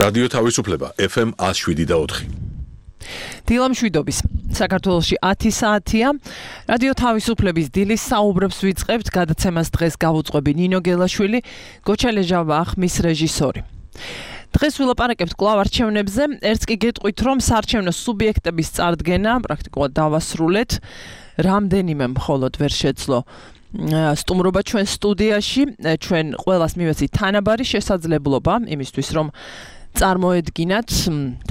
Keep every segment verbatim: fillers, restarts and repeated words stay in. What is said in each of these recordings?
რადიო თავისუფლება ეფ ემ one oh seven და four. დილამშვიდობის საქართველოში ათი საათია. რადიო თავისუფლების დილის საუბრებს ვიწყებთ. გადაცემას დღეს გავუძღვები ნინო გელაშვილი, გოჩა ლეჟავა ახმის რეჟისორი. დღეს ვილაპარაკებთ კვლავ არჩევნებზე. ერთს კი გეტყვით, რომ საარჩევნო სუბიექტების წარდგენა პრაქტიკულად დავასრულეთ. რამდენიმე მხოლოდ ვერ შეძლო სტუმრობა ჩვენ სტუდიაში. ჩვენ ყველას მივეცით თანაბარი შესაძლებლობა იმისთვის, რომ წარმოედგინათ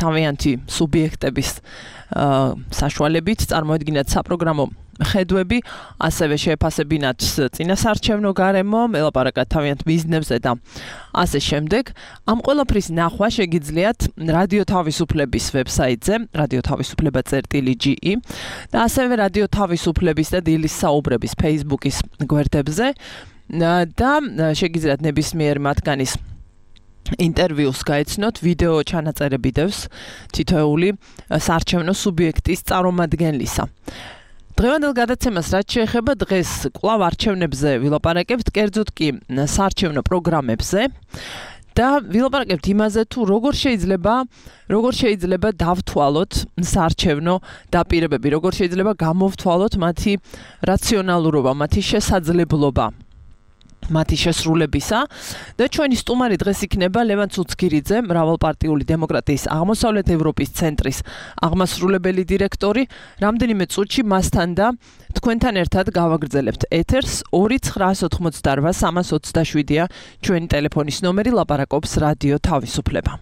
თავიანთი სუბიექტების საშუალებით, წარმოედგინათ საპროგრამო ხედვები, ასევე შეეფასებინათ წინასაარჩევნო გარემო, ელაპარაკათ თავიანთ მიზნებზე და ასე შემდეგ. ამ ყველაფრის ნახვა შეგიძლიათ რადიო თავისუფლების ვებსაიტზე, radiotavisufleba.ge და ასევე რადიო თავისუფლების და დილის საუბრების Facebook-ის გვერდებზე და შეგიძლიათ ნებისმიერ მათგანის ინტერვიუს გაეცნოთ, ვიდეო ჩანაწერები დევს თითოეული საარჩევნო სუბიექტის წარმომადგენლისა. დღევანდელ გადაცემას რაც შეეხება, დღეს კვლავ არჩევნებზე ვილაპარაკებთ, კერძოდ კი საარჩევნო პროგრამებზე და ვილაპარაკებთ იმაზე, თუ როგორ შეიძლება, როგორ შეიძლება დავთვალოთ საარჩევნო დაპირებები, როგორ შეიძლება გამოვთვალოთ მათი რაციონალურობა, მათი შესაძლებლობა მათი შესრულებისა და ჩვენი სტუმარი დღეს იქნება ლევან ცუცქირიძე, მრავალპარტიული დემოკრატიის აღმოსავლეთ ევროპის ცენტრის აღმასრულებელი დირექტორი. რამდენიმე წუთში მასთან და თქვენთან ერთად გავაგრძელებთ ეთერს. ორი ცხრა ოთხმოცდარვა სამას ოცდაშვიდია ჩვენი ტელეფონის ნომერი, ლაპარაკობს რადიო თავისუფლება.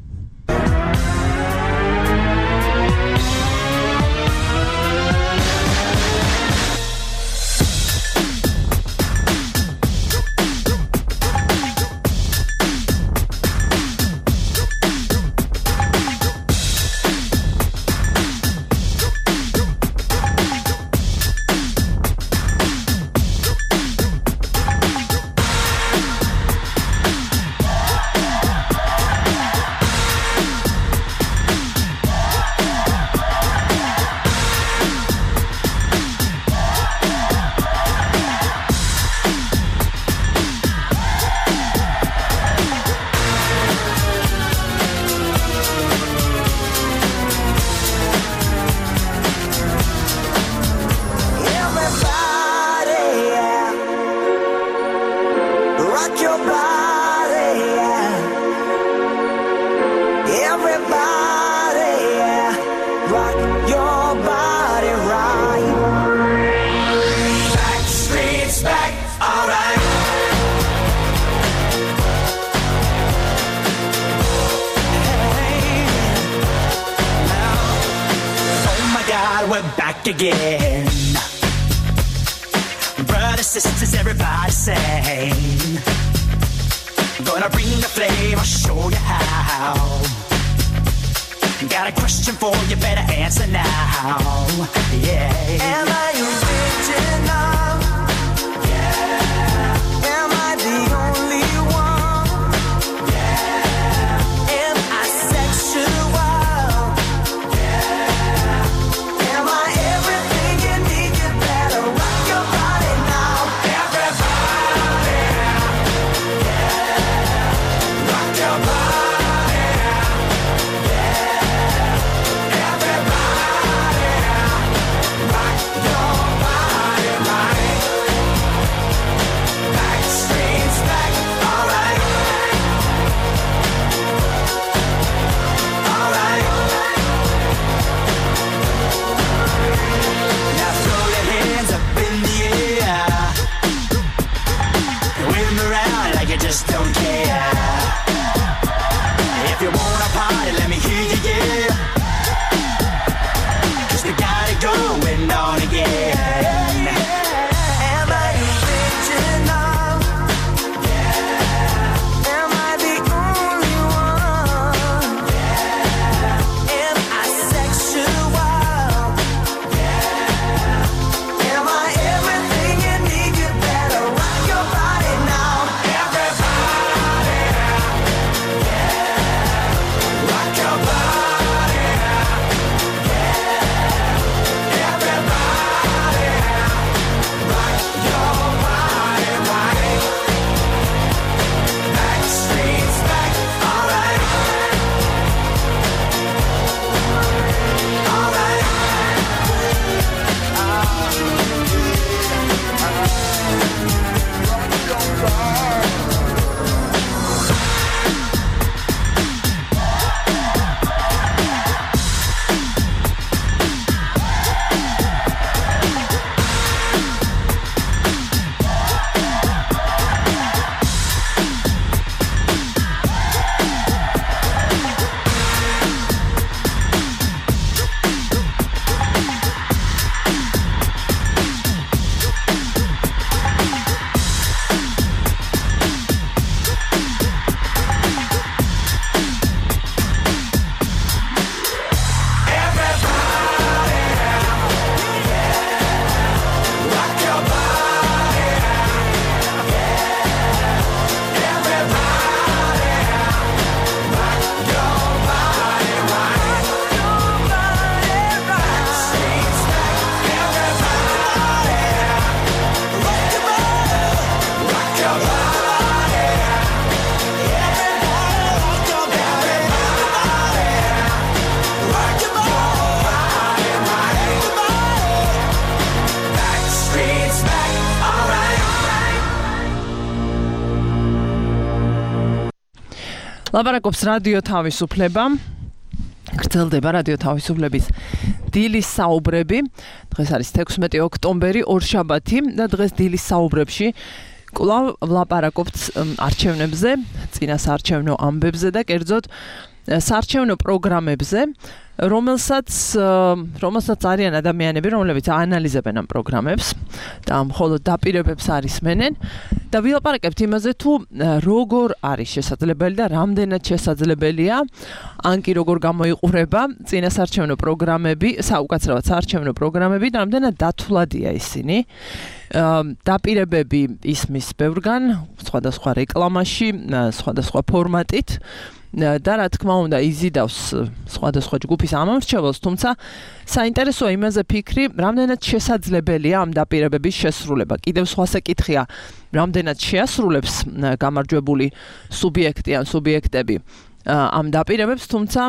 Again, brothers, sisters, everybody sing. Gonna bring the flame, I'll show you how. Got a question for you, better answer now. Yeah. Am I original? Yeah. Am I the only one? Yeah. Am I sexual? ლაპარაკობს რადიო თავისუფლება. გრძელდება რადიო თავისუფლების დილის საუბრები. დღეს არის თექვსმეტი ოქტომბერი, ორშაბათი და დღეს დილის საუბრებში კვლავ ვლაპარაკობთ არჩევნებზე, წინასაარჩევნო ამბებზე და კერძოდ საარჩევნო პროგრამებზე, რომელსაც რომელსაც არიან ადამიანები, რომლებიც აანალიზებენ ამ პროგრამებს და მხოლოდ დაპირებებს არისმენენ და ვილაპარაკებთ იმაზე თუ როგორ არის შესაძლებელი და რამდენად შესაძლებელია ან კი როგორ გამოიყურება წინასაარჩევნო პროგრამები, საუკაცრავად საარჩევნო პროგრამები და რამდენად დათვლადია ისინი. დაპირებები ისმის ბევრგან, სხვადასხვა რეკლამაში, სხვადასხვა ფორმატით და რა თქმა უნდა იზიდავს სხვადასხვა ჯგუფის ამომრჩეველს, თუმცა საინტერესოა იმაზე ფიქრი, რამდენად შესაძლებელია ამ დაპირებების შესრულება. კიდევ სხვა საკითხია, რამდენად შეასრულებს გამარჯვებული სუბიექტი ან სუბიექტები ამ დაპირებებს, თუმცა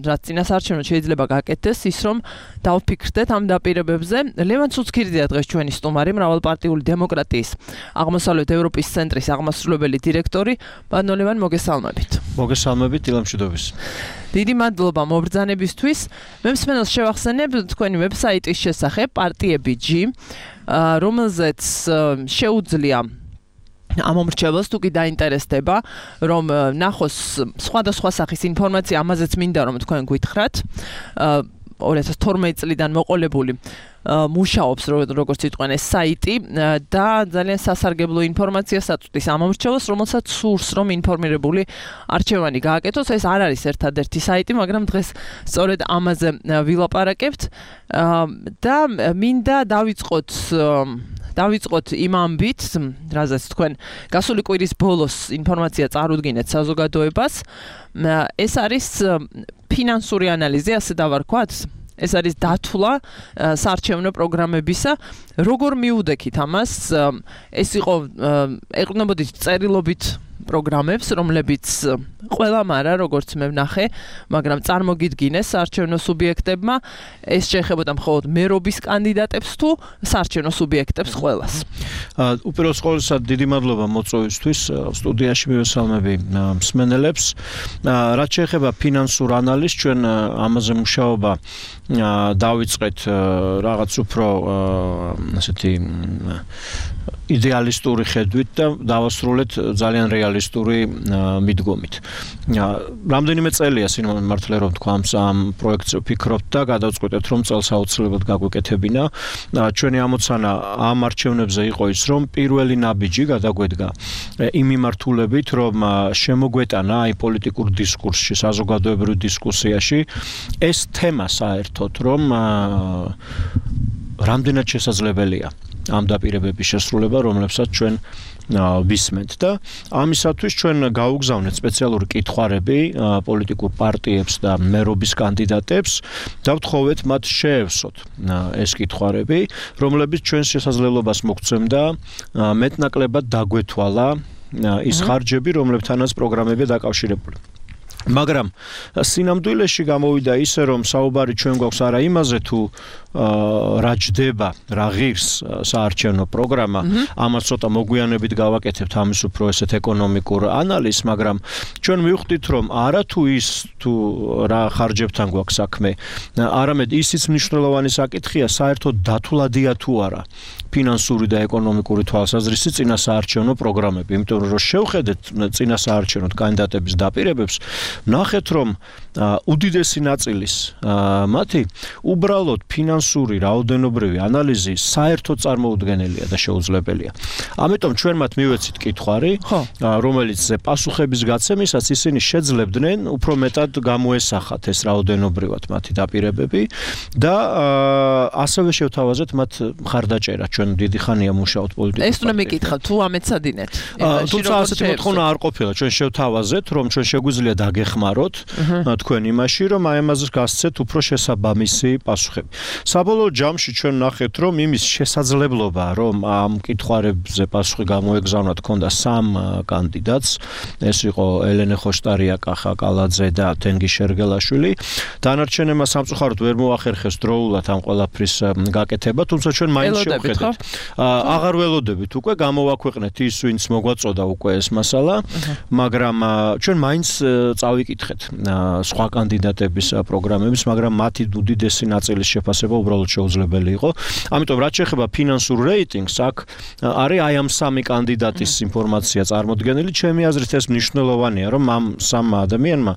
რაც წინასაარჩევნოდ შეიძლება გაკეთდეს ის, რომ დავფიქრდეთ ამ დაპირებებზე. ლევან ცუცქირდია დღეს ჩვენი სტუმარი, მრავალპარტიული დემოკრატიის აღმოსავლეთ ევროპის ცენტრის აღმასრულებელი დირექტორი. ბატონო ლევან, მოგესალმებით. მოგესალმებით, დილამშვიდობის. დიდი მადლობა მობრძანებისთვის. მე მსმენელს შევახსენებ თქვენი ვებსაიტის შესახებ პარტიები.ჯი, რომელზეც შეუძლია ამომრჩეველს თუ კი დაინტერესდება, რომ ნახოს სხვადასხვა სახის ინფორმაცია, ამაზეც მინდა რომ თქვენ გითხრათ. ორი ათას თორმეტი წლიდან მოყოლებული მუშაობს როგორც იტყვიან ეს საიტი და ძალიან სასარგებლო ინფორმაციას აწვდის ამომრჩეველს, რომელსაც სურს რომ ინფორმირებული არჩევანი გააკეთოს. ეს არ არის ერთადერთი საიტი, მაგრამ დღეს სწორედ ამაზე ვილაპარაკებთ და მინდა დავიწყოთ დავიწყოთ იმ ამბით, რაზეც თქვენ გასული კვირის ბოლოს ინფორმაცია წარუდგინეთ საზოგადოებას. ეს არის ფინანსური ანალიზი, ასე დავარქვათ. ეს არის დათვლა საარჩევნო პროგრამებისა. როგორ მიუდექით ამას? ეს იყო ეყრდნობოდით წერილობით პროგრამებს, რომლებიც ყველამ არა, როგორც მე ვნახე, მაგრამ წარმოგიდგინეს საარჩევნო სუბიექტებმა. ეს შეეხებოდა მხოლოდ მერობის კანდიდატებს თუ საარჩევნო სუბიექტებს ყველას. უპირველეს ყოვლისა დიდი მადლობა მოწვევისთვის. სტუდიაში მივესალმები მსმენელებს. რაც შეეხება ფინანსურ ანალიზს, ჩვენ ამაზე მუშაობა დავიწყეთ რაღაც უფრო ასეთი იდეალისტური ხედვით და დავასრულეთ ძალიან რეალისტური მიდგომით. რამდენიმე წელია სიმართლე რომ თქვა ამ პროექტზე ვფიქრობთ და გადავწყვეტეთ რომ წელს აუცილებლად გაგვეკეთებინა. ჩვენი ამოცანა ამ არჩევნებზე იყო ის, რომ პირველი ნაბიჯი გადაგვედგა იმ მიმართულებით, რომ შემოგვეტანა აი პოლიტიკურ დისკურსში, საზოგადოებრივ დისკუსიაში ეს თემა საერთოდ, რომ რამდენად შესაძლებელია ამ დაპირებების შესრულება, რომლებსაც ჩვენ ვისმენთ და ამისათვის ჩვენ გავუგზავნეთ სპეციალური კითხვარები პოლიტიკურ პარტიებს და მერობის კანდიდატებს და ვთხოვეთ მათ შეევსოთ ეს კითხვარები, რომლებიც ჩვენს შესაძლებლობას მოგცემდა მეტნაკლებად დაგვეთვალა ის ხარჯები, რომლებთანაც პროგრამები დაკავშირებული. მაგრამ სინამდვილეში გამოვიდა ისე, რომ საუბარი ჩვენ გვაქვს არა იმაზე თუ რა ჯდება, რა ღირს საარჩევნო პროგრამა, ამას ცოტა მოგვიანებით გავაკეთებთ ამის უფრო ესეთ ეკონომიკურ ანალიზს, მაგრამ ჩვენ მივხვდით, რომ არა თუ ის თუ რა ხარჯებთან გვაქვს საქმე, არამედ ისიც მნიშვნელოვანი საკითხია, საერთოდ დათვლადია თუ არა ფინანსური და ეკონომიკური თვალსაზრისით წინასაარჩევნო პროგრამები, იმიტომ რომ შევხედეთ წინასაარჩევნო კანდიდატების დაპირებებს, ნახეთ რომ უდიდესი ნაწილის მათი უბრალოდ ფინანსური რაოდენობრივი ანალიზი საერთოდ წარმოუდგენელია და შეუძლებელია. ამიტომ ჩვენ მათ მივეცით კითხვარი, რომელიც პასუხების გაცემისას ისინი შეძლებდნენ უფრო მეტად გამოესახათ ეს რაოდენობრივად მათი დაპირებები და ასევე შევთავაზეთ მათ მხარდაჭერა. ჩვენ დიდი ხანია მუშაობთ პოლიტიკურ ეს უნდა მეკითხა თუ ამეცადინეთ. თუმცა ასეთი მოთხოვნა არ ყოფილა. ჩვენ შევთავაზეთ, რომ ჩვენ შეგვიძლია გეხმაროთ თქვენ იმაში, რომ აი ამაზე გასცეთ უფრო შესაბამისი პასუხები. საბოლოო ჯამში ჩვენ ნახეთ, რომ იმის შესაძლებლობა, რომ ამ კითხვებზე პასუხი გამოეგზავნათ ქონდა სამ კანდიდატს, ეს იყო ელენე ხოშტარია, კახა კალაძე და თენგი შერგელაშვილი. დანარჩენებმა სამწუხაროდ ვერ მოახერხეს დროულად ამ ყველაფრის გაკეთება, თუმცა ჩვენ მაინც შევხედეთ. აღარ ველოდებით უკვე გამოვაქვეყნეთ ის, ვინც მოგვაწოდა უკვე ეს მასალა, მაგრამ ჩვენ მაინც წავიკითხეთ სხვა კანდიდატების პროგრამების, მაგრამ მათი უდიდესი ნაწილის შეფასება უბრალოდ შეუძლებელი იყო. ამიტომ რაც შეეხება ფინანსურ რეიტინგს, აქ არის აი ამ სამი კანდიდატის ინფორმაცია წარმოდგენილი. ჩემი აზრით ეს მნიშვნელოვანია, რომ ამ სამ ადამიანმა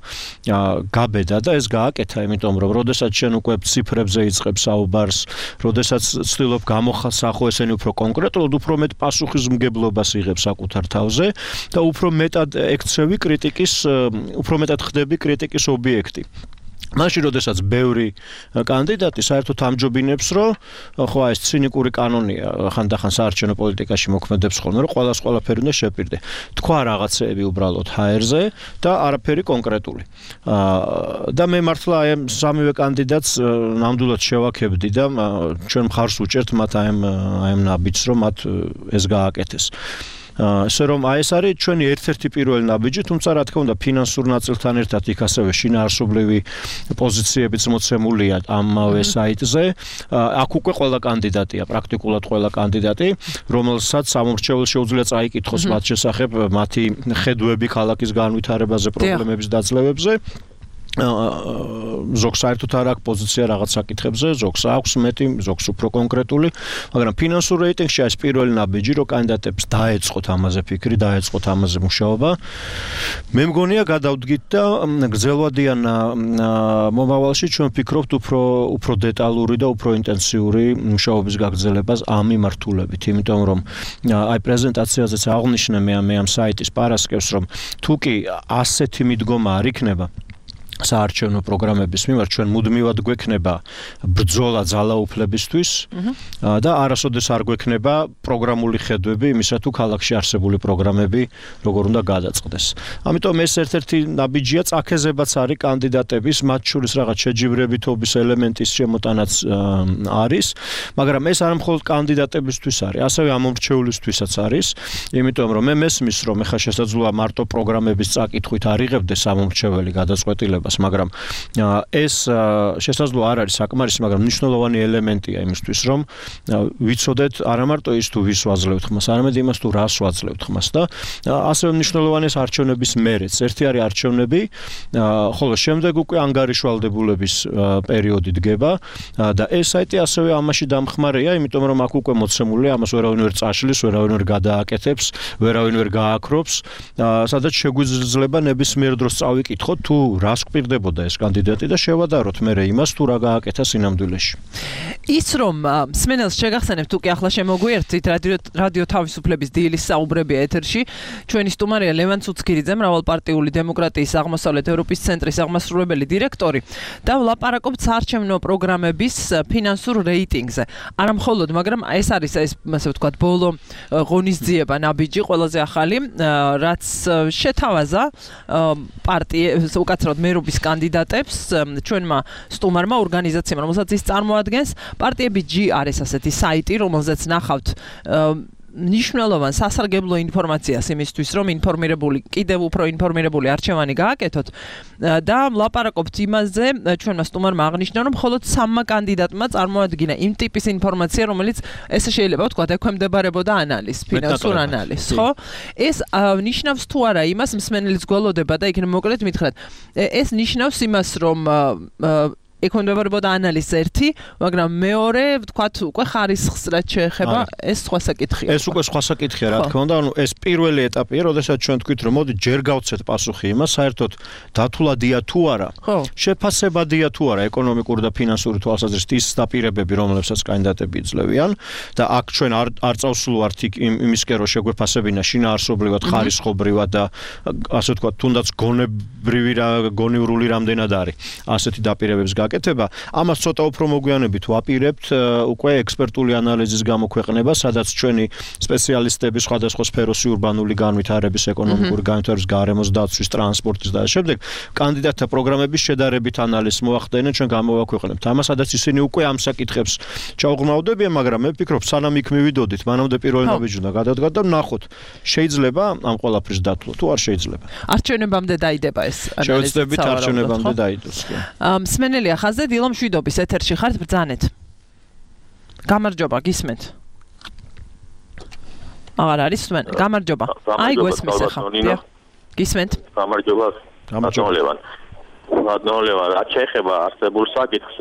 გაბედა და ეს გააკეთა, იმიტომ რომ როდესაც შენ უკვე ციფრებზე იწყებ საუბარს, როდესაც ცდილობ გამოხასახო ესენი უფრო კონკრეტულად, უფრო მეტ პასუხისმგებლობას იღებ საკუთარ თავზე და უფრო მეტად ექცევი კრიტიკის, უფრო მეტად ხდები კრიტიკის ობიექტი. მაშინ როდესაც ბევრი კანდიდატი საერთოდ ამჯობინებს, რომ ხო ეს ცინიკური კანონია ხანდახან საარჩევნო პოლიტიკაში მოქმედებს ხოლმე, რომ ყველას ყველაფერი უნდა შეპირდე. თქვა რაღაცეები უბრალოდ ჰაერზე და არაფერი კონკრეტული. და მე მართლა აი სამივე კანდიდატს ნამდვილად შევაქებდი და ჩვენ მხარს უჭერთ მათ აი ამ ნაბიჯს, რომ მათ ეს გააკეთეს. ასე რომ აი ეს არის ჩვენი ერთ-ერთი პირველი ნაბიჯი, თუმცა რა თქმა უნდა ფინანსურ ნაწილთან ერთად იქ ასევე შინაარსობრივი პოზიციებიც მოცემულია ამავე საიტზე. აქ უკვე ყველა კანდიდატია, პრაქტიკულად ყველა კანდიდატი, რომელსაც სამომრჩეველს შეუძლია წაიკითხოს მათ შესახებ მათი ხედვები ქალაქის განვითარებაზე, პრობლემების დაძლევებზე. ზოგს საერთოდ არ აქვს პოზიცია რაღაც საკითხებზე, ზოგს აქვს მეტი, ზოგს უფრო კონკრეტული, მაგრამ ფინანსურ რეიტინგში არის პირველი ნაბიჯი, რომ კანდიდატებს დაეწყოთ ამაზე ფიქრი, დაეწყოთ ამაზე მუშაობა. მე მგონია გადავდგით და გრძელვადიან მომავალში ჩვენ ვფიქრობთ უფრო უფრო დეტალური და უფრო ინტენსიური მუშაობის გაგრძელებას ამ მიმართულებით, იმიტომ რომ აი პრეზენტაციაზეც აღნიშნე მე ამ საიტის პარასკევს, რომ თუ კი ასეთი მიდგომა არ იქნება საარჩევნო პროგრამების მიმართ, ჩვენ მუდმივად გვექნება ბრძოლა ძალაუფლებისთვის და არასოდეს არ გვექნება პროგრამული ხედვები იმისა, თუ ქალაქში არსებული პროგრამები როგორ უნდა გადაწყდეს. ამიტომ ეს ერთ-ერთი ნაბიჯია, წაქეზებაც არის კანდიდატების, მათ შორის რაღაც შეჯიბრებითობის ელემენტის შემოტანაც არის, მაგრამ ეს არ მხოლოდ კანდიდატებისთვის არის, ასევე ამომრჩევლისთვისაც არის, იმიტომ რომ მე მესმის, რომ ეხლა შესაძლოა მარტო პროგრამების წაკითხვით არ იღებდეს ამომრჩეველი გადაწყვეტილება, მაგრამ ეს შესაძლოა არ არის საკმარისი, მაგრამ მნიშვნელოვანი ელემენტია იმისთვის, რომ ვიცოდეთ არა მარტო ის თუ ვის ვაძლევთ ხმას, არამედ იმას თუ რას ვაძლევთ ხმას და ასევე მნიშვნელოვანია არჩევნების მერეც. ერთი არის არჩევნები, ხოლო შემდეგ უკვე ანგარიშვალდებულების პერიოდი დგება და ეს საიტი ასევე ამაში დამხმარეა, იმიტომ რომ აქ უკვე მოცემულია, ამას ვერავინ ვერ წაშლის, ვერავინ ვერ გადააკეთებს, ვერავინ ვერ გააქრობს, სადაც შეგვიძლია ნებისმიერ დროს წავიკითხოთ, თუ რას პირდებოდა ეს კანდიდატი და შევადაროთ მე იმას თუ რა გააკეთა სინამდვილეში. ის რომ სმენელს შეგახსენებთ, თუ კი ახლა შემოგვიერთით რადიო თავისუფლების დილის საუბრები ეთერში, ჩვენი სტუმარია ლევან ცუცქირიძე, მრავალპარტიული დემოკრატიის აღმოსავლეთ ევროპის ცენტრის აღმასრულებელი დირექტორი და ვლაპარაკობთ საარჩევნო პროგრამების ფინანსურ რეიტინგზე. არა მხოლოდ, მაგრამ ეს არის ეს ასე ვთქვათ ბოლო ღონისძიება ნაბიჯი, ყველაზე ახალი, რაც შეთავაზა პარტიებს, უკაცრავად მერობის კანდიდატებს, ჩვენმა სტუმარმა ორგანიზაციამ, რომელსაც ის წარმოადგენს, პარტიები ჯი არის ასეთი საიტი, რომელზეც ნახავთ მნიშვნელოვან სასარგებლო ინფორმაციას იმისთვის, რომ ინფორმირებული, კიდევ უფრო ინფორმირებული არჩევანი გააკეთოთ და ვლაპარაკობთ იმაზე, ჩვენმა სტუმარმა აღნიშნა, რომ მხოლოდ სამმა კანდიდატმა წარმოადგინა იმ ტიპის ინფორმაცია, რომელიც ესე შეიძლება ვთქვათ, ექვემდებარებოდა ანალიზს, ფინანსურ ანალიზს, ხო? ეს ნიშნავს თუ არა იმას, მსმენელიც გველოდება და იქ მოკლედ მითხრათ, ეს ნიშნავს იმას, რომ ექვემდებარებოდა ანალიზს ერთი, მაგრამ მეორე, ვთქვათ, უკვე ხარისხს რაც შეეხება, ეს სხვა საკითხია. ეს უკვე სხვა საკითხია, რა თქმა უნდა, ანუ ეს პირველი ეტაპია, როდესაც ჩვენ თქვით, რომ მოდი ჯერ გავცეთ პასუხი იმას, საერთოდ დათულადია თუ არა, შეფასებადია თუ არა ეკონომიკური და ფინანსური თვალსაზრისით ის დაპირებები, რომლებსაც კანდიდატები იძლევიან და აქ ჩვენ არ არ წავსულვართ იმისკენ, რომ შეგვეფასებინა შინაარსობრივად, ხარისხობრივად და ასე ვთქვათ, თუნდაც გონებრივი რა, გონივრული რამდენად არის ასეთი დაპირებების გაკეთება. ამას ცოტა უფრო მოგვიანებით ვაპირებთ უკვე ექსპერტული ანალიზის გამოქვეყნება, სადაც ჩვენი სპეციალისტები სხვადასხვა სფეროსი ურბანული განვითარების, ეკონომიკური განვითარების, გარემოს დაცვის, ტრანსპორტის და შემდეგ კანდიდატთა პროგრამების შედარებით ანალიზს მოახდენენ, ჩვენ გამოვაქვეყნებთ. ამას სადაც ისინი უკვე ამ საკითხებს ჩაუღრმავდებიან, მაგრამ მე ვფიქრობ, სანამ იქ მივიდოდით, მანამდე პირველი ნაბიჯი უნდა გადადგათ და ვნახოთ, შეიძლება ამ ყველაფრის დათვლა თუ არ შეიძლება. არჩევნებამდე დაიდება ეს ანალიზი. შევეცდებით არჩევნებამდე დაიდოს. მსმენელია ხაზზე დილო მშვიდობის ეთერში ხართ, ბრძანეთ. გამარჯობა, გისმენთ. აღარ არის მსმენელი. გამარჯობა. აი გვესმის ახლა. გისმენთ. გამარჯობა. გამარჯობა. ნოლევან, რაც შეეხება არსებულ საკითხს,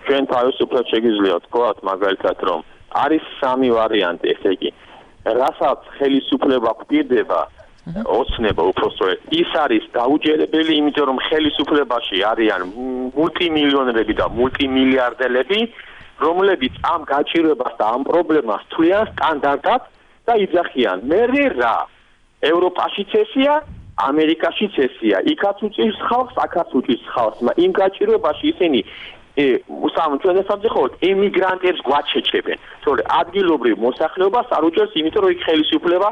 ჩვენ თავისუფლად შეგვიძლია ვთქვათ მაგალითად, რომ არის სამი ვარიანტი, ესე იგი, რასაც ხელისუფლება გვპირდება, ოცნება უпростоეთ, ის არის დაუჯერებელი, იმიტომ რომ ხელისუფლებაში არიან მულტიმილიონერები და მულტიმილიარდელები, რომლებიც ამ გაჭირვებას და ამ პრობლემას თვლიან სტანდარტად და იძახიან. მერე რა? ევროპაშიც ესეა, ამერიკაშიც ესეა. იქაც უწევს ხალხს, აქაც უწევს ხალხს. იმ გაჭირვებაში ისინი უსამ ჩვენ ესამძახოთ ემიგრანტებს გვაჩეჩებენ. თორე ადგილობრივ მოსახლეობას არ უჭერს, იმიტომ რომ იქ ხელისუფლება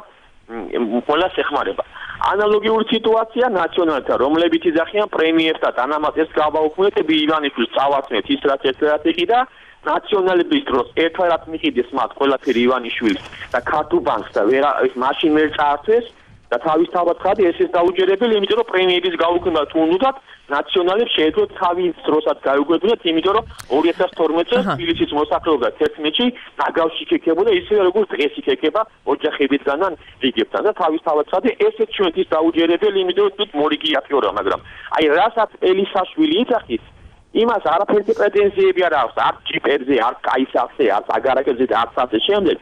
ყველას ეხმარება. ანალოგიური სიტუაცია ნაციონალთა, რომლებიც იძახიან პრემიებს და დანამატებს გავაუქმებთ, ივანიშვილს წავაცნეთ ის რაც ერთ-ერთი ყიდა ნაციონალების დროს ერთვარად მიყიდეს მათ ყველაფერი ივანიშვილს და ქართულ ბანკს და ვერა მაშინ ვერ წაართვეს და თავისთავად ხადი ეს ის დაუჯერებელი, იმიტომ რომ პრემიების გაუქმება თუ უნდათ ნაციონალებს შეეძლოთ თავის დროსაც გაუგებინათ, იმიტომ რომ ორი ათას თორმეტ წელს თბილისის მოსახლეობა თერთმეტში ნაგავში იქეკებოდა ისევე როგორც დღეს იქეკება ოჯახებიდან და რიგებთან და თავისთავად ხადი ესეც ჩვენთვის დაუჯერებელი, იმიტომ რომ მორიგი აფიორა, მაგრამ აი რასაც ელისაშვილი იძახის იმას არაფერი პრეტენზიები არ აქვს, არც ჯიპერზე, არც კაისახზე, არც აგარაკებზე და არც ასე შემდეგ.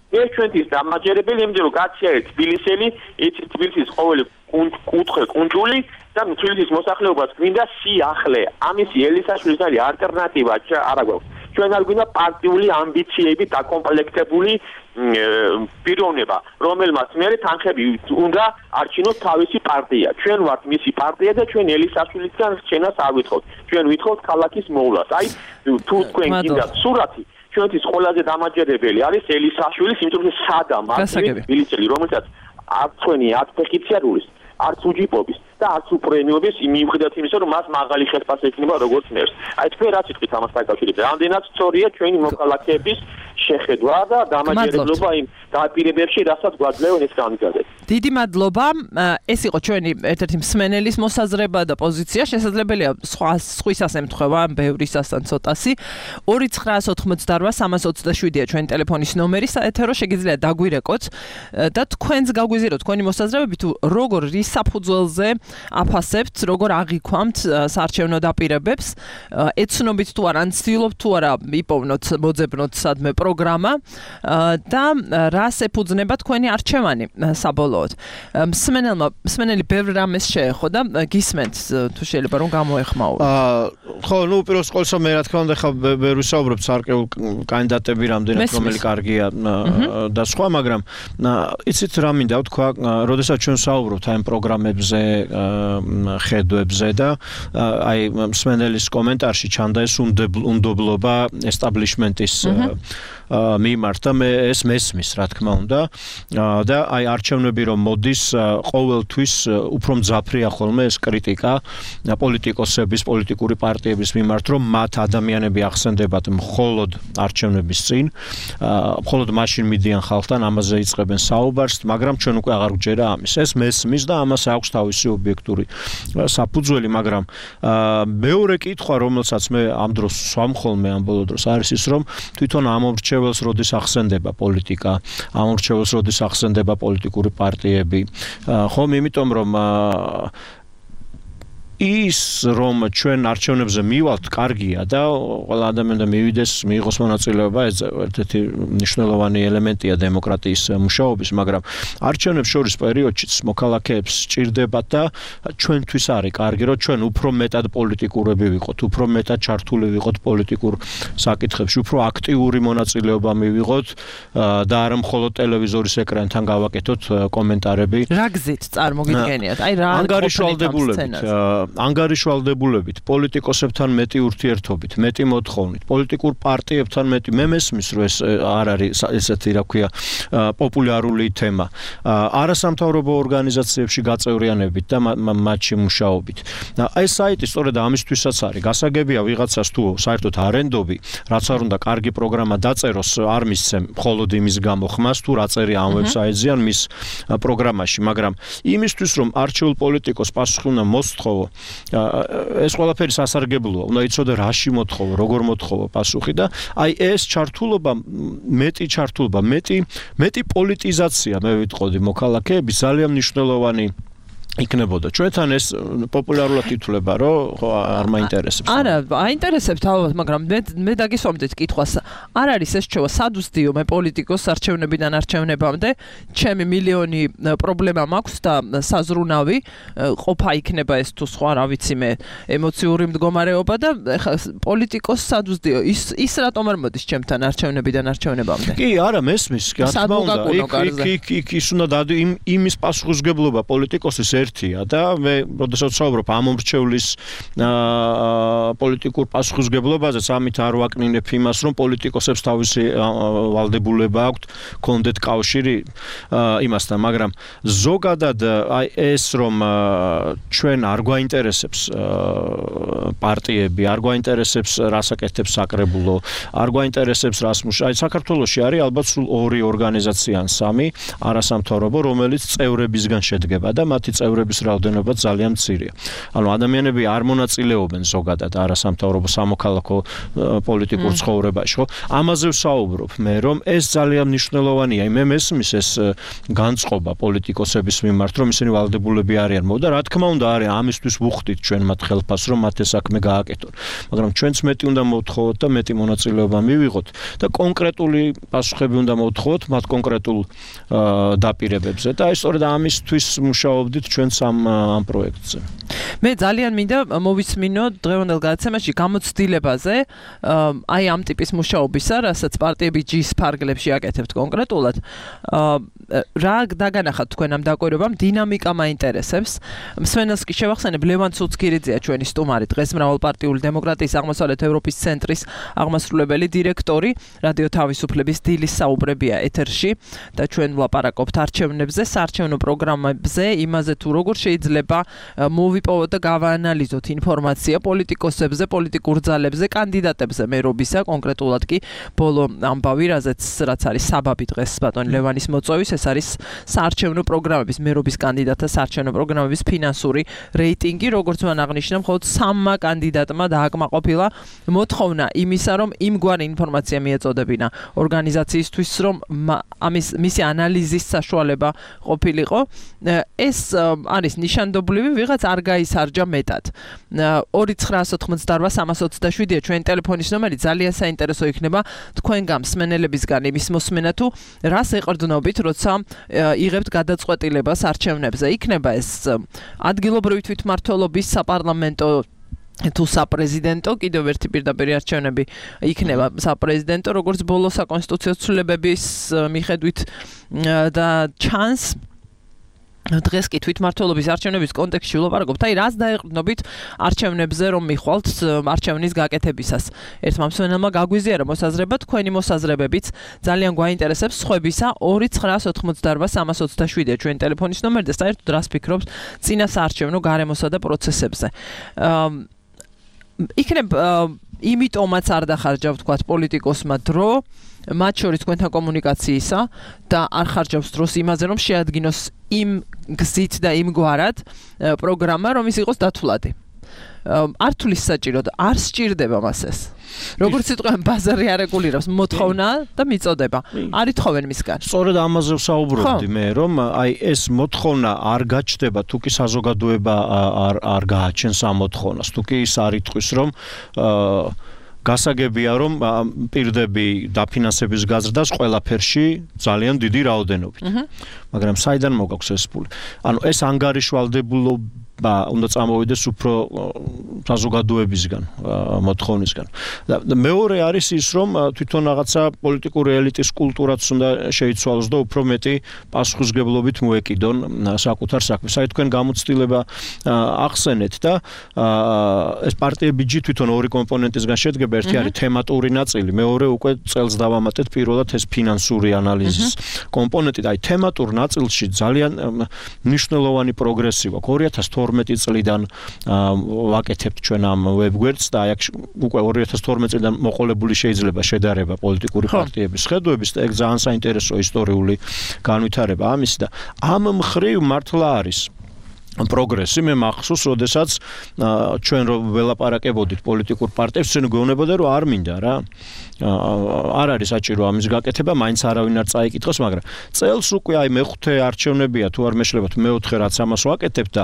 ეს ჩვენთვის დამაჯერებელი, იმიტომ რომ გაციარეთ თბილისელი, იცით თბილისის ყოველი კუთხე კუნძული და თბილისის მოსახლეობას გვინდა სიახლე. ამისი ელისაშვილის არის ალტერნატივა არა გვაქვს. ჩვენ არ გვინდა პარტიული ამბიციები დაკომპლექტებული პიროვნება, რომელმაც მერე თანხები უნდა არჩინოს თავისი პარტია. ჩვენ ვართ მისი პარტია და ჩვენ ელისაშვილისგან რჩენას არ ვითხოვთ. ჩვენ ვითხოვთ ქალაქის მოვლას. აი თუ თქვენ გინდათ სურათი ჩვენთვის ყველაზე დამაჯერებელი არის ელისაშვილის, იმიტომ რომ სადა მარტივი თბილისელი, რომელსაც არც თქვენი არც ფეხიციარულის, არც უჯიპობის და არც უპრემიობის მიუხედავად იმისა, რომ მას მაღალი ხელფასი ექნება როგორც მერს. აი თქვენ რა სიტყვით ამას დაკავშირებით? რამდენად სწორია ჩვენი მოქალაქეების შეხედვა და დამაჯერებლობა იმ დაპირებებში, რასაც გვაძლევენ ეს განმგადეთ. დიდი მადლობა. ეს იყო ჩვენი ერთ-ერთი მსმენელის მოსაზრება და პოზიცია. შესაძლებელია სხვა სხვისას ემთხვევა, ბევრისასთან ცოტასი. ორი ცხრაას ოთხმოცდაოთხ სამას ოცდაშვიდია ჩვენი ტელეფონის ნომერი. საეთერო შეგიძლიათ დაგვირეკოთ და თქვენს გაგვიზიაროთ თქვენი მოსაზრებები თუ როგორ რის საფუძველზე აფასებთ, როგორ აღიქვამთ საარჩევნო დაპირებებს, ეცნობით თუ არა, ცდილობთ თუ არა იპოვნოთ, მოძებნოთ სადმე პროგრამა და რას ეფუძნება თქვენი არჩევანი საბოლოოდ. მსმენელმა, მსმენელი ბევრ რამეს შეეხო და გისმენთ თუ შეიძლება რომ გამოეხმაუროთ. ხო, ნუ უპირველეს ყოვლისა მე რა თქმა უნდა ხა ვერ ვისაუბრებ სარკეულ კანდიდატები რამდენად რომელი კარგია და სხვა, მაგრამ იცით რა მინდა ვთქვა, როდესაც ჩვენ საუბრობთ აი ამ პროგრამებზე, ხედვებზე და აი მსმენელის კომენტარში ჩანდა ეს უნდობლობა ესტაბლიშმენტის მიმართ და მე ეს მესმის რა თქმა უნდა და აი არჩევნები რომ მოდის ყოველთვის უფრო მძაფრია ხოლმე ეს კრიტიკა პოლიტიკოსების, პოლიტიკური პარტიების მიმართ, რომ მათ ადამიანები ახსენდებათ მხოლოდ არჩევნების წინ, მხოლოდ მაშინ მიდიან ხალხთან, ამაზე იწყებენ საუბარს, მაგრამ ჩვენ უკვე აღარ გვჯერა ამის. ეს მესმის და ამას აქვს თავისი ობიექტური საფუძველი, მაგრამ მეორე კითხვა, რომელსაც მე ამ დროს სვამ ხოლმე ამ ბოლო დროს არის ის, რომ თვითონ ამ მრჩეველს როდის ახსენდება პოლიტიკა, ამ მრჩეველს როდის ახსენდება პოლიტიკური პარტიები, ხომ იმიტომ რომ ის რომ ჩვენ არჩევნებზე მივალთ კარგია და ყველა ადამიანი მივიდეს, მიიღოს მონაწილეობა, ეს ერთ-ერთი მნიშვნელოვანი ელემენტია დემოკრატიის მუშაობის, მაგრამ არჩევნებს შორის პერიოდშიც მოქალაქეებს სჭირდებათ და ჩვენთვის არის კარგი, რომ ჩვენ უფრო მეტად პოლიტიკურები ვიყოთ, უფრო მეტად ჩართული ვიყოთ პოლიტიკურ საკითხებში, უფრო აქტიური მონაწილეობა მივიღოთ და არა მხოლოდ ტელევიზორის ეკრანთან გავაკეთოთ კომენტარები. რა გზით წარმოგიდგენიათ? აი რა ანგარიშვალდებულებით ანგარიშვალდებულებით, პოლიტიკოსებთან მეტი ურთიერთობით, მეტი მოთხოვნით, პოლიტიკურ პარტიებთან მეტი მე მესმის, რომ ეს არ არის ესეთი, რა ქვია, პოპულარული თემა. არასამთავრობო ორგანიზაციებში გაწევრიანებით და მათში მუშაობით. აი ეს საიტი სწორედ ამისთვისაც არის. გასაგებია ვიღაცას თუ საერთოდ არენდობი, რაც არ უნდა კარგი პროგრამა დაწეროს, არ მისცემ მხოლოდ იმის გამო ხმას თუ რა წერია ამ ვებსაიტზე ან მის პროგრამაში, მაგრამ იმისთვის რომ არჩეულ პოლიტიკოს პასუხი უნდა მოსთხოვო, ეს ყველაფერი სასარგებლოა. უნდა იცოდე რაში მოთხოვო, როგორ მოთხოვო პასუხი და აი ეს ჩართულობა, მეტი ჩართულობა, მეტი მეტი პოლიტიზაცია მე ვიტყოდი მოქალაქეების ძალიან მნიშვნელოვანი იქნებოდა. ჩვენთან ეს პოპულარულად ითვლება, რომ ხო არ მაინტერესებს. არა, აინტერესებს თავად, მაგრამ მე მე დაგისვამდით კითხვას. არ არის ეს რჩევა სადუსტიო მე პოლიტიკოს არჩევნებიდან არჩევნებამდე, ჩემი მილიონი პრობლემა მაქვს და საზრუნავი ყოფა იქნება ეს თუ სხვა, რა ვიცი მე, ემოციური მდგომარეობა და პოლიტიკოს სადუსტიო ის ის რატომ არ მოდის ჩემთან არჩევნებიდან არჩევნებამდე? კი, არა, მესმის, რა თქმა უნდა. იქ იქ ის უნდა დადი იმის პასუხისგებლობა პოლიტიკოსის ერთია და მე როდესაც ვსაუბრობ ამ მომრჩევლის პოლიტიკურ პასუხისგებლობაზე, ამით არ ვაკნინებ იმას, რომ პოლიტიკოსებს თავისი ვალდებულება აქვთ, კონდეთ კავშირი იმასთან, მაგრამ ზოგადად აი ეს რომ ჩვენ არ გვაინტერესებს პარტიები, არ გვაინტერესებს რას აკეთებს საკრებულო, არ გვაინტერესებს რას მუშაობს. აი საქართველოში არის ალბათ სულ ორი ორგანიზაცია ან სამი არასამთავრობო, რომელიც წევრებისგან შედგება და მათი წევრების რაოდენობა ძალიან მცირეა. ანუ ადამიანები არ მონაწილეობენ ზოგადად არასამთავრობო სამოქალაქო პოლიტიკურ ცხოვრებაში, ხო? ამაზე ვსაუბრობ მე, რომ ეს ძალიან მნიშვნელოვანია. მე მესმის ეს განწყობა პოლიტიკოსების მიმართ, რომ ისინი ვალდებულები არიან. მოდა რა თქმა უნდა არის ამისთვის ვუხდით ჩვენ მათ ხელფას, რომ მათ ეს საქმე გააკეთონ. მაგრამ ჩვენც მეტი უნდა მოვთხოვოთ და მეტი მონაწილეობა მივიღოთ და კონკრეტული პასუხები უნდა მოვთხოვოთ მათ კონკრეტულ დაპირებებზე და ეს სწორედ ამისთვის მუშაობდით ჩვენც ამ ამ პროექტზე. მე ძალიან მინდა მოვისმინო დღევანდელ გადაცემაში გამოცდილებაზე აი ამ ტიპის მუშაობისა, რასაც პარტიები ჯის ფარგლებში აკეთებთ კონკრეტულად. რა დაგანახათ თქვენ ამ დაკვირვებამ, დინამიკა მაინტერესებს. მსმენელს კი შევახსენებ, ლევან ცუცქირიძეა ჩვენი სტუმარი, დღეს მრავალპარტიული დემოკრატიის აღმოსავლეთ ევროპის ცენტრის აღმასრულებელი დირექტორი, რადიო თავისუფლების დილის საუბრებია ეთერში და ჩვენ ვლაპარაკობთ არჩევნებზე, საარჩევნო პროგრამებზე, იმაზე თუ როგორ შეიძლება მოვიპოვოთ და გავაანალიზოთ ინფორმაცია პოლიტიკოსებზე, პოლიტიკურ ძალებზე, კანდიდატებზე მერობისა, კონკრეტულად კი ბოლო ამბავი, რაზეც რაც არის საბაბი დღეს ბატონ ლევანის მოწვევის, ეს არის საარჩევნო პროგრამების, მერობის კანდიდატთა საარჩევნო პროგრამების ფინანსური რეიტინგი, როგორც მან აღნიშნა, მხოლოდ სამმა კანდიდატმა დააკმაყოფილა მოთხოვნა იმისა, რომ იმგვარი ინფორმაცია მიეწოდებინა ორგანიზაციისთვის, რომ ამის მისი ანალიზის საშუალება ყოფილიყო. ეს არის ნიშანდობლივი, ვიღაც არ გაისარჯა მეტად. ორი ცხრაას ოთხმოცდაოთხ სამას ოცდაშვიდია ჩვენი ტელეფონის ნომერი, ძალიან საინტერესო იქნება თქვენგან მსმენელებისგან იმის მოსმენა თუ რას ეყრდნობით, როცა იღებთ გადაწყვეტილებას არჩევნებზე. იქნება ეს ადგილობრივი თვითმმართველობის საპარლამენტო თუ საპრეზიდენტო, კიდევ ერთი პირდაპირ არჩევნები იქნება საპრეზიდენტო, როგორც ბოლო საკონსტიტუციო ცვლილებების მიხედვით და ჩანს დღეს კი თვითმმართველობის არჩევნების კონტექსტში ვლაპარაკობთ, აი რას დაეყრდნობით არჩევნებზე რომ მიხვალთ არჩევნის გაკეთებისას. ერთმა მსმენელმა გაგვიზიარა მოსაზრება, თქვენი მოსაზრებებიც ძალიან გვაინტერესებს სხვებისა. ორი ცხრაას ოთხმოცდაოთხ სამას ოცდაშვიდია ჩვენი ტელეფონის ნომერი და საერთოდ რას ფიქრობთ წინა საარჩევნო გარემოსა და პროცესებზე. იქნებ იმიტომაც არ დახარჯავ თქვათ პოლიტიკოსმა დრო, მათ შორის თქვენთან კომუნიკაციისა და არ ხარჯავს დროს იმაზე, რომ შეადგინოს იმ გზით და იმ გვარად პროგრამა, რომ ის იყოს დათვლადი. არ თulis საჭიროდ, არ სჭირდება მას ეს. როგორც სიტყვამ ბაზარი არ რეგულირებს, მოთხოვნა და მიწოდება. არ ითხოვენ მისგან. სწორედ ამაზე ვსაუბრობდი მე, რომ აი ეს მოთხოვნა არ გაჩნდება, თუ კი საზოგადოება არ არ გააჩენს ამ მოთხოვნას, თუ კი ის არ იტყვის, რომ გასაგებია, რომ პირდები დაფინანსების გაზრდას ყველაფერში ძალიან დიდი რაოდენობით. მაგრამ საიდან მოგაქვს ეს ფული? ანუ ეს ანგარიშვალდებულობა უნდა წამოვიდეს უფრო საზოგადოებისგან, მოთხოვნისგან. და მეორე არის ის, რომ თვითონ რაღაცა პოლიტიკური ელიტის კულტურაც უნდა შეიცვალოს და უფრო მეტი პასუხისმგებლობით მოეკიდონ საკუთარ საქმეს. აი თქვენ გამოცდილება ახსენეთ და ეს პარტიები ჯი თვითონ ორი კომპონენტისგან შედგება, ერთი არის თემატური ნაწილი, მეორე უკვე წელს დავამატეთ პირველად ეს ფინანსური ანალიზის კომპონენტი და აი თემატურ ნაწილში ძალიან მნიშვნელოვანი პროგრესი გვაქვს. ორი ათას თორმეტი წლიდან ვაკეთებთ ჩვენ ამ ვებგვერდს და აი აქ უკვე ორი ათას თორმეტი წლიდან მოყოლებული შეიძლება შედარება პოლიტიკური პარტიების ხედვების და ეგ ძალიან საინტერესო ისტორიული განვითარება ამისი და ამ მხრივ მართლა არის პროგრესი. მე მახსოვს, როდესაც ჩვენ რო ველაპარაკებოდით პოლიტიკურ პარტიებს, ჩვენ გვეუბნებოდა, რომ არ მინდა რა. არ არის საჭირო ამის გაკეთება, მაინც არავინ არ წაიკითხოს, მაგრამ წელს უკვე აი მეხუთე არჩევნებია, თუ არ მეშლებათ, მეოთხე რაც ამას ვაკეთებ და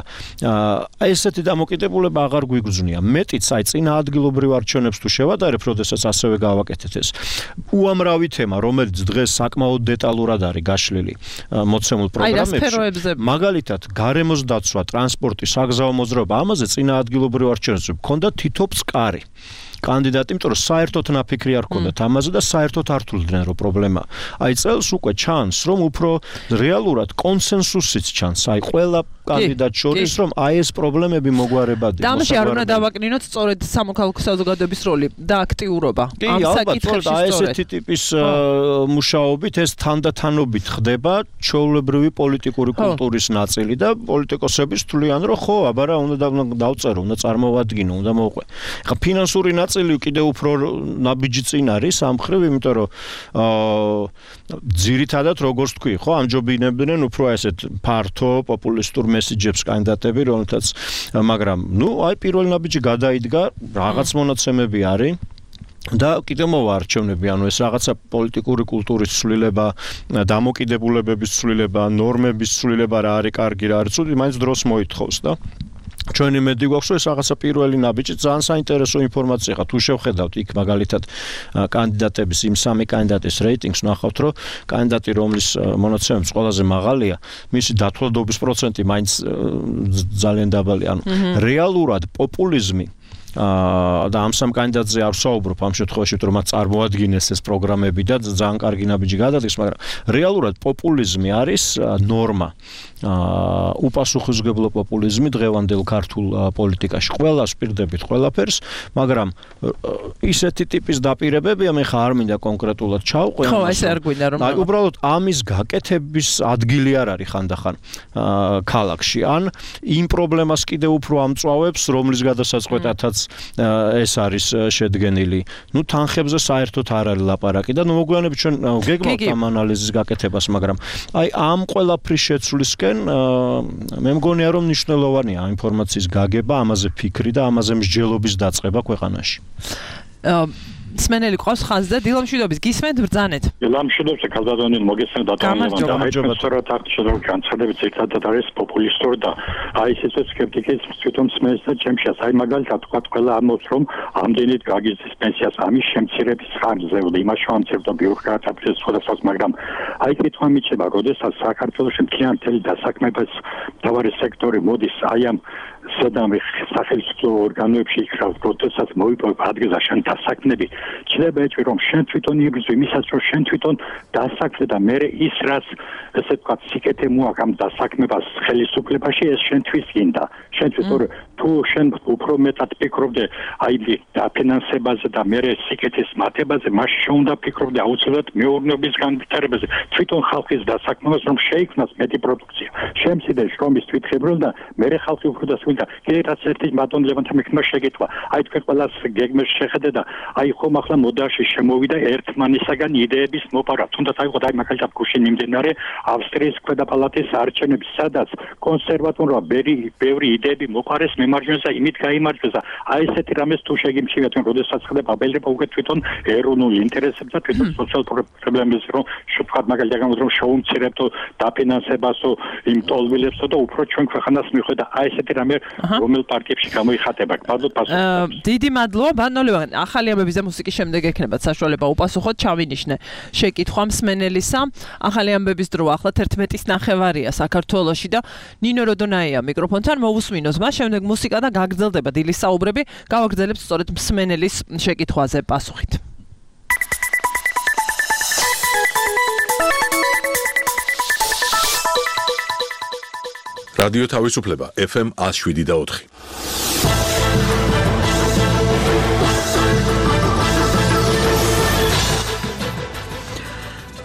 აი ესეთი დამოკიდებულება აღარ გვიგრძნია. მეტიც აი წინა ადგილობრივ არჩევნებს თუ შევადარებ, როდესაც ასევე გავაკეთეთ ეს უამრავი თემა, რომელიც დღეს საკმაოდ დეტალურად არის გაშლილი მოცემულ პროგრამებში. მაგალითად, გარემოს დაცვა, ტრანსპორტი, საგზაო მოძრაობა, ამაზე წინა ადგილობრივ არჩევნებში მქონდა თითო ფსკარი. კანდიდატი, იმიტომ რომ საერთოდ ნაფიქრი არ ჰქონდათ ამაზე და საერთოდ არ თვლდნენ რომ პრობლემა. აი წელს უკვე ჩანს, რომ უფრო რეალურად კონსენსუსიც ჩანს, აი ყველა კანდიდატ შორის, რომ აი ეს პრობლემები მოგვარებადი. და ამაში არ უნდა დავაკნინოთ სწორედ სამოქალაქო საზოგადოების როლი და აქტიურობა. ამ საკითხებში აი ესეთი ტიპის მუშაობით ეს თანდათანობით ხდება ჩვეულებრივი პოლიტიკური კულტურის ნაწილი და პოლიტიკოსები თვლიან, რომ ხო, აბა რა უნდა დავწერო, უნდა წარმოვადგინო, უნდა მოვყვე. ხა ფინანსური ნაწილი კიდევ უფრო ნაბიჯი წინ არის ამ მხრივ, იმიტომ რომ ძირითადად როგორც თქვი, ხო, ამჯობინებდნენ უფრო ესეთ ფართო პოპულისტურ მესიჯებს კანდიდატები, რომელთაც მაგრამ ნუ აი პირველი ნაბიჯი გადაიდგა, რაღაც მონაცემები არის და კიდევ მოვა არჩევნები, ანუ ეს რაღაცა პოლიტიკური კულტურის ცვლილება, დამოკიდებულებების ცვლილება, ნორმების ცვლილება რა არის კარგი, რა არის ცუდი, მაინც დროს მოითხოვს და ჩვენი მედი გვაქვს, რომ ეს რაღაცა პირველი ნაბიჯი ძალიან საინტერესო ინფორმაცია ხა თუ შევხედავთ იქ მაგალითად კანდიდატების იმ სამი კანდიდატის რეიტინგს ნახავთ, რომ კანდიდატი რომლის მონაცემები ყველაზე მაღალია, მისი დათვალადობის პროცენტი მაინც ძალიან დაბალია, ანუ რეალურად პოპულიზმი და ამ სამ კანდიდატზე არ ვსაუბრობ ამ შემთხვევაში, რომ მათ წარმოადგინეს ეს პროგრამები და ძალიან კარგი ნაბიჯი გადადგეს, მაგრამ რეალურად პოპულიზმი არის ნორმა. უპასუხისმგებლო პოპულიზმი დღევანდელ ქართულ პოლიტიკაში. ყველას პირდებით ყველაფერს, მაგრამ ისეთი ტიპის დაპირებებია, მე ხა არ მინდა კონკრეტულად ჩავყვე. ხო, ეს არ გვინდა რომ აი უბრალოდ ამის გაკეთების ადგილი არ არის ხანდახან ქალაქში. ან იმ პრობლემას კიდევ უფრო ამწვავებს, რომლის გადასაწყვეტადაც ეს არის შედგენილი. ნუ თანხებზე საერთოდ არ არის ლაპარაკი და ნუ მოგვიანებით ჩვენ გეგმავთ ამ ანალიზის გაკეთებას, მაგრამ აი ამ ყველაფრის შეცვლისკენ მე მგონია რომ მნიშვნელოვანია ამ ინფორმაციის გაგება, ამაზე ფიქრი და ამაზე მსჯელობის დაწყება ქვეყანაში. სმენელი ყავს ხაზზე, დილამ მშვიდობის, გისმენთ ბრძანეთ. დილამ მშვიდობს, ქალბატონი მოგესმენთ დატოვებიდან და აი სწორად აქ შეძლო განცხადებით ერთადად არის პოპულისტური და აი ესეც სკეპტიკის თვითონ სმენს და ჩემშიას. აი მაგალითად თქვა ყველა ამბობს რომ ამდენით გაგიზის პენსიას ამის შემცირების ხარჯზე და იმას შევამცირებდა ბიუროკრატიის სხვადასხვა, მაგრამ აი კითხვა მიჩება, როდესაც საქართველოს მთლიანი დასაქმების მთავარი სექტორი მოდის აი ამ სადამე სახელმწიფო ორგანოებში იქრავს, როდესაც მოიპოვებ ადგილზე შენ დასაქმნები, შეიძლება ეთქვი რომ შენ თვითონ იგრძვი მისაც რომ შენ თვითონ დასაქმე და მე ის რაც ესე ვთქვათ სიკეთე მოაქვს ამ დასაქმებას ხელისუფლებაში, ეს შენთვის გინდა. შენთვის თუ შენ უფრო მეტად ფიქრობდე აი დაფინანსებაზე და მე სიკეთის მათებაზე, მაშინ შენ უნდა ფიქრობდე აუცილებლად მეურნეობის განვითარებაზე, თვითონ ხალხის დასაქმებას, რომ შეიქმნას მეტი პროდუქცია. შემცირდეს შრომის თვითმფრინავი და მე ხალხი უფრო და და კიდე რაც ერთი ბატონ ლევანთა მექნა შეგეთქვა. აი თქვენ ყველას გეგმებს შეხედე და აი ხომ ახლა მოდაში შემოვიდა ერთმანისაგან იდეების მოპარვა. თუნდაც აი ყოთ აი მაგალითად გუშინ მიმდინარე ავსტრიის ქვედა პალატის არჩევნები, სადაც კონსერვატორმა ბევრი იდეები მოპარეს მემარჯვენეს და იმით გაიმარჯვეს. აი ესეთი რამეს თუ შეგიმჩნევთ, როდესაც ხდება აბელება უკვე თვითონ ეროვნულ ინტერესებს და თვითონ სოციალურ პრობლემებს, რომ შევთქვათ მაგალითად რომ შევუმცირებთო დაფინანსებასო იმ ტოლვილებსო და უფრო ჩვენ ქვეყანას მიხვდა აი ესეთი რამე რომელ პარტიებში გამოიხატება ბაზო პასუხი. დიდი მადლობა ბატონო ლევან. ახალი ამბების და მუსიკის შემდეგ ექნებათ საშუალება უპასუხოთ ჩავინიშნე შეკითხვა მსმენელისა. ახალი ამბების დრო ახლა თერთმეტის ნახევარია საქართველოში და ნინო როდონაია მიკროფონთან მოვუსმინოთ მას შემდეგ მუსიკა და გაგრძელდება დილის საუბრები. გავაგრძელებთ სწორედ მსმენელის შეკითხვაზე პასუხით. რადიო თავისუფლება ეფ ემ one oh seven და four.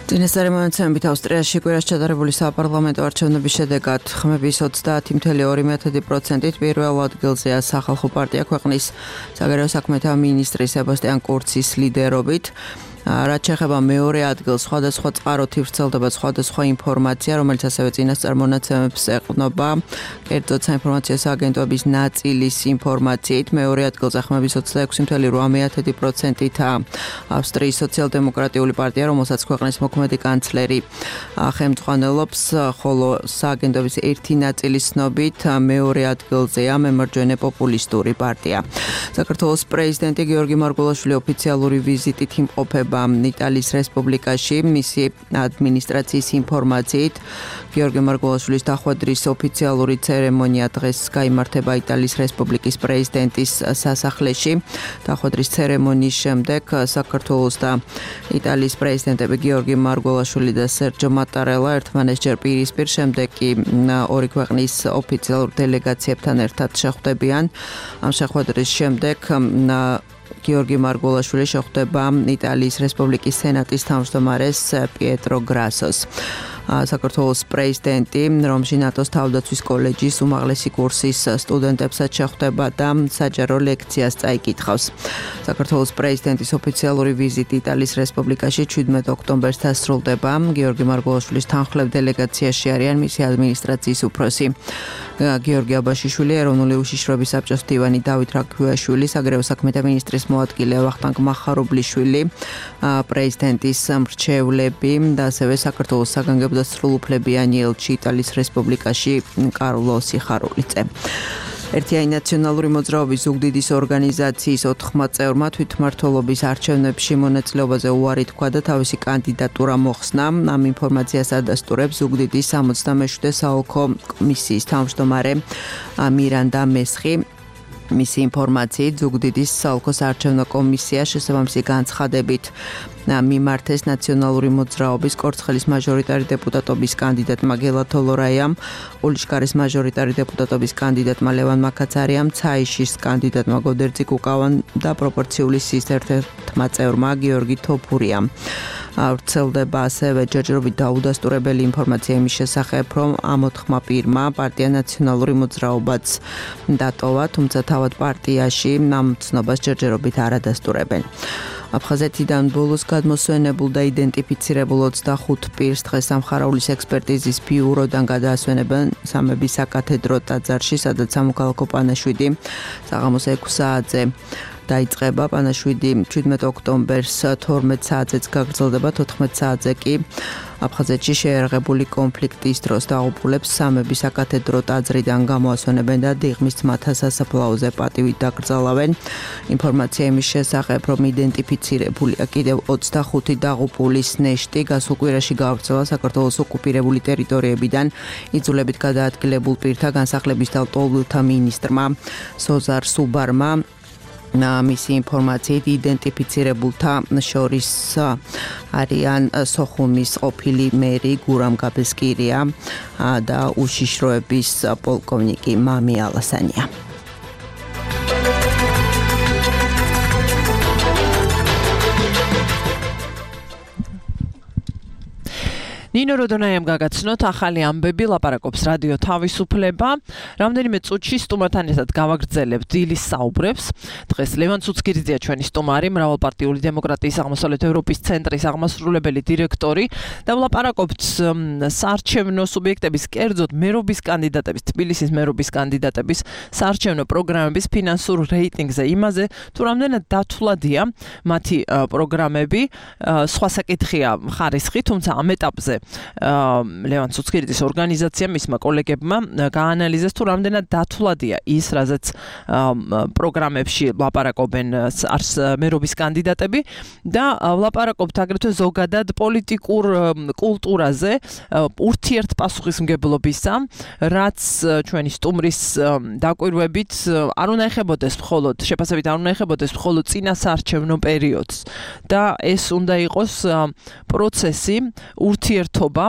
წინასწარი მონაცემებით ავსტრიაში კვირას ჩატარებული საპარლამენტო არჩევნების შედეგად ხმების ოცდაათი comma two პროცენტით პირველ ადგილზეა სახალხო პარტია ქვეყნის საგარეო საქმეთა მინისტრის სებასტიან კურცის ლიდერობით. რაც შეეხება მეორე ადგილს, სხვადასხვა წყაროთი ვრცელდება სხვადასხვა ინფორმაცია, რომელიც ასევე წინასწარ მონაცემებს ეყრდნობა. კერძოდ საინფორმაციო სააგენტოების ნაწილის ინფორმაციით, მეორე ადგილზე ხმების ოცდაექვსი comma eight პროცენტითაა ავსტრიის სოციალ-დემოკრატიული პარტია, რომელსაც ქვეყნის მოქმედი კანცლერი ხელმძღვანელობს, ხოლო სააგენტოების ერთი ნაწილის ცნობით მეორე ადგილზეა მემარჯვენე პოპულისტური პარტია. საქართველოს პრეზიდენტი გიორგი მარგველაშვილი ოფიციალური ვიზიტით იმყოფება იტალიის რესპუბლიკაში. მისი ადმინისტრაციის ინფორმაციით გიორგი მარგველაშვილის დახვედრის ოფიციალური ცერემონია დღეს გაიმართება იტალიის რესპუბლიკის პრეზიდენტის სასახლეში. დახვედრის ცერემონიის შემდეგ საქართველოს და იტალიის პრეზიდენტები გიორგი მარგველაშვილი და სერჯო მატარელა ერთმანეთს პირისპირ, შემდეგ კი ორი ქვეყნის ოფიციალურ დელეგაციებთან ერთად შეხვდებიან. ამ შეხვედრის შემდეგ გიორგი მარგველაშვილი შეხვდება იტალიის რესპუბლიკის სენატის თავმჯდომარეს პიეტრო გრასოს. საქართველოს პრეზიდენტი რომში ნატოს თავდაცვის კოლეჯის უმაღლესი კურსის სტუდენტებსაც შეხვდება და საჯარო ლექციას წაიკითხავს. საქართველოს პრეზიდენტის ოფიციალური ვიზიტი იტალიის რესპუბლიკაში შვიდმეტ ოქტომბერს დასრულდება. გიორგი მარგველაშვილის თანხმდელ დელეგაციაში არიან მისი ადმინისტრაციის უფროსი გიორგი აბაშიშვილი, ეროვნული უშიშროების საბჭოს მდივანი დავით რაქვიაშვილი, საგარეო საქმეთა მინისტრის მოადგილე ვახტანგ მახარობლიშვილი, პრეზიდენტის მრჩევლები და ასევე საქართველოს საგანგებო და სრულუფლებიანი ელჩი იტალიის რესპუბლიკაში კარლო სიხარულიძე. ერთიანი ნაციონალური მოძრაობის ზუგდიდის ორგანიზაციის ოთხმა წევრმა თვითმმართველობის არჩევნებში მონაწილეობაზე უარი თქვა და თავისი კანდიდატურა მოხსნა. ამ ინფორმაციას ადასტურებს ზუგდიდის სამოცდამეშვიდე საოლქო კომისიის თავმჯდომარე მირანდა მესხი. მისი ინფორმაციით ზუგდიდის საოლქო საარჩევნო კომისია შესაბამისი განცხადებით მიმართეს ნაციონალური მოძრაობის კორცხელის მაჟორიტარი დეპუტატობის კანდიდატმა გელა თოლორაიამ, ყულიშკარის მაჟორიტარი დეპუტატობის კანდიდატმა ლევან მაკაცარიამ, ცაიშის კანდიდატმა გოდერძი კუკავან და პროპორციული სის ერთ-ერთმა წევრმა გიორგი თოფურიამ. ვრცელდება ასევე ჯერჯერობით დაუდასტურებელი ინფორმაცია იმის შესახებ, რომ ამ ოთხმა პირმა პარტია ნაციონალური მოძრაობაც დატოვა, თუმცა თავად პარტიაში ამ ცნობას ჯერჯერობით არ ადასტურებენ. აფხაზეთიდან ბოლოს გადმოსვენებულ და იდენტიფიცირებულ ოცდახუთ პირს დღეს სამხარaulis ექსპერტიზის ბიუროდან გადაასვენებენ სამების საკათედრო ტაძარში, სადაც სამოქალაქო პანაშვიდი საღამოს ექვსი საათზე დაიწყება. პანაშვიდი შვიდმეტ ოქტომბერს თორმეტ საათზეც გაგრძელდება, თოთხმეტ საათზე კი აფხაზეთში შეერაღებული კონფლიქტის დროს დაღუპულებს სამების საკათედრო ტაძრიდან გამოასვენებენ და დიღმის ძმათა სასაფლაოზე პატივით დაკრძალავენ. ინფორმაცია იმის შესახებ, რომ იდენტიფიცირებულია კიდევ ოცდახუთი დაღუპულის ნეშტი გასულ კვირაში გავრცელა საქართველოს ოკუპირებული ტერიტორიებიდან იძულებით გადაადგილებულ პირთა განსახლების და ლტოლვილთა მინისტრმა სოზარ სუბარმა. მისი ინფორმაციით იდენტიფიცირებულთა შორის არიან სოხუმის ყოფილი მერი გურამ გაბესკირია და უშიშროების პოლკოვნიკი მამი ალასანია. ნინო როდონაიამ გაგაცნოთ ახალი ამბები, ლაპარაკობს რადიო თავისუფლება. რამდენიმე წუთში სტუმართან ერთად გავაგრძელებთ დილის საუბრებს. დღეს ლევან ცუცქირიძეა ჩვენი სტუმარი, მრავალპარტიული დემოკრატიის აღმოსავლეთ ევროპის ცენტრის აღმასრულებელი დირექტორი და ვლაპარაკობთ საარჩევნო სუბიექტების, კერძოდ მერობის კანდიდატების, თბილისის მერობის კანდიდატების საარჩევნო პროგრამების ფინანსურ რეიტინგზე, იმაზე თუ რამდენად დათვლადია მათი პროგრამები. სხვა საკითხია ხარისხი, თუმცა ამ ეტაპზე ლევან ცუცქირიძის ორგანიზაციამ მისმა კოლეგებმა გაანალიზეს თუ რამდენად დათვლადია ის, რაზეც პროგრამებში ლაპარაკობენ არს მერობის კანდიდატები და ლაპარაკობთ აგრეთვე ზოგადად პოლიტიკურ კულტურაზე, ურთიერთპასუხისმგებლობისა, რაც ჩვენი სტუმრის დაკვირვებით არ უნდა ეხებოდეს მხოლოდ შეფასებით არ უნდა ეხებოდეს მხოლოდ წინასაარჩევნო პერიოდს და ეს უნდა იყოს პროცესი, ურთიერთობა,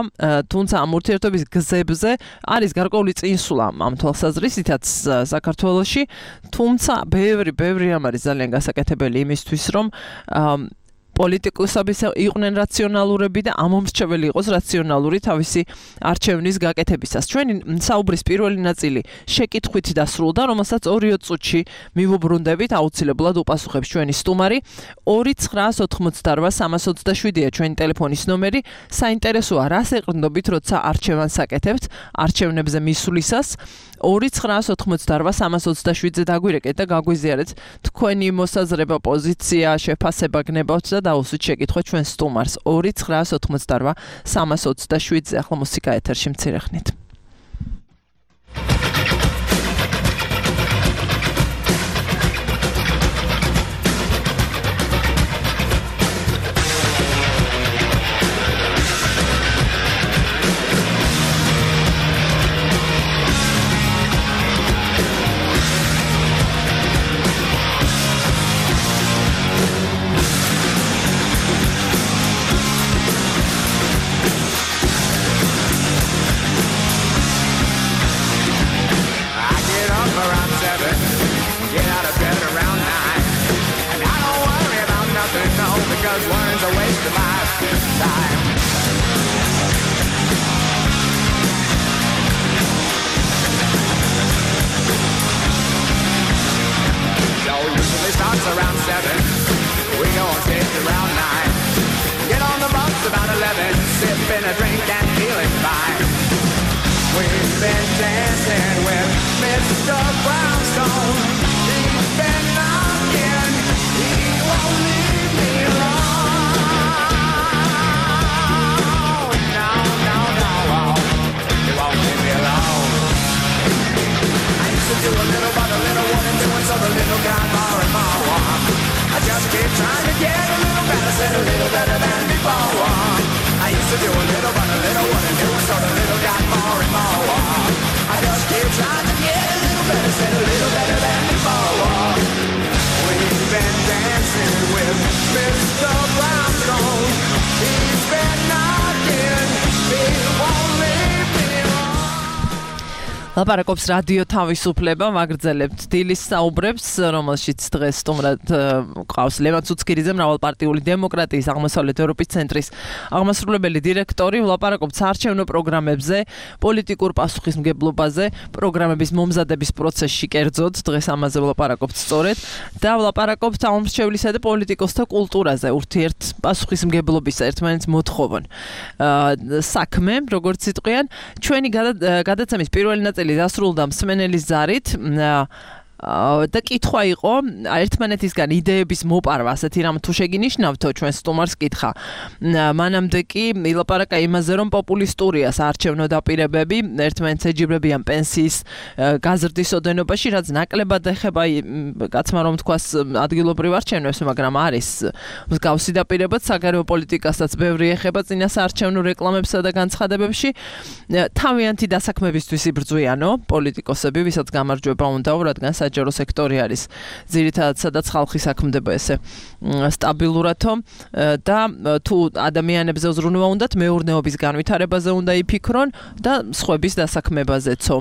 თუმცა ამ ურთიერთობის გზებზე არის გარკვეული წინსვლა ამ თვალსაზრისითაც საქართველოში, თუმცა ბევრი ბევრი რამ არის ძალიან გასაკეთებელი იმისთვის, რომ პოლიტიკოსები იყვნენ რაციონალურები და ამომრჩეველი იყოს რაციონალური თავისი არჩევნის გაკეთებისას. ჩვენი საუბრის პირველი ნაწილი შეკითხვით დასრულდა, რომელსაც ორი წუთში მივუბრუნდებით, აუცილებლად უპასუხებს ჩვენი სტუმარი. ორი ცხრაას ოთხმოცდარვა სამას ოცდაშვიდია ჩვენი ტელეფონის ნომერი. საინტერესოა, რას ეყრდნობით, როცა არჩევანს აკეთებთ, არჩევნებზე მისვლისას. ორი ცხრაას ოთხმოცდარვა სამას ოცდაშვიდზე დაგვირეკეთ და გაგვიზიარეთ თქვენი მოსაზრება, პოზიცია, შეფასება გნებავთ და დაუსვით შეკითხვა ჩვენ სტუმარს. ორი ცხრაას ოთხმოცდარვა სამას ოცდაშვიდზე. ახლა მუსიკა ეთერში მცირე ხნით. Around seven, we go on stage around nine. Get on the bus about eleven, sipping a drink and feeling fine. We've been dancing with Mister Brownstone. He's been knocking, he won't leave me alone. No, no, no, he won't leave me alone. I used to do a little, but a little wasn't doing, so the little got more and more. I just keep trying to get a little better, said a little better than before. I used to do a little, but a little wasn't doing, so the little got more and more. I just keep trying to get a little better, said a little better than before. We've been dancing with Mister Brownstone. He's been knocking, he won't leave me alone. ლაპარაკობს რადიო თავისუფლება, ვაგრძელებთ დილის საუბრებს, რომელშიც დღეს სტუმრად ყავს ლევან ცუცქირიძე, მრავალპარტიული დემოკრატიის აღმოსავლეთ ევროპის ცენტრის აღმასრულებელი დირექტორი. ვლაპარაკობთ საარჩევნო პროგრამებზე, პოლიტიკურ პასუხისმგებლობაზე, პროგრამების მომზადების პროცესში კერძოდ, დღეს ამაზე ვლაპარაკობთ სწორედ და ვლაპარაკობთ ამომრჩევლისა და პოლიტიკოსთა კულტურაზე, ურთიერთ პასუხისმგებლობისა, ერთმანეთს მოთხოვონ საქმე, როგორც იტყვიან. ჩვენი გადაცემის პირველი ნაწილი დასრულდა მსმენელის ზარით და კითხვა იყო ერთმანეთისგან იდეების მოპარვა, ასეთი რამ თუ შეგინიშნავთო, ჩვენ სტუმარს კითხა. მანამდე კი ილაპარაკა იმაზე, რომ პოპულისტურია საარჩევნო დაპირებები, ერთმანეთს ეჯიბრებიან პენსიის გაზრდის ოდენობაში, რაც ნაკლებად ეხება კაცმა რომ თქვას ადგილობრივ არჩევნებს, მაგრამ არის მსგავსი დაპირებაც საგარეო პოლიტიკასაც ბევრი ეხება წინასაარჩევნო რეკლამებსა და განცხადებებში. თავიანთი დასაქმებისთვის იბრძვიანო პოლიტიკოსები, ვისაც გამარჯვება უნდაო, რადგან საჯარო სექტორი არის ძირითადად სადაც ხალხი საქმდება ესე სტაბილურათო და თუ ადამიანებზე უზრუნვა უნდათ მეურნეობის განვითარებაზე უნდა იფიქრონ და სხვების დასაქმებაზეცო.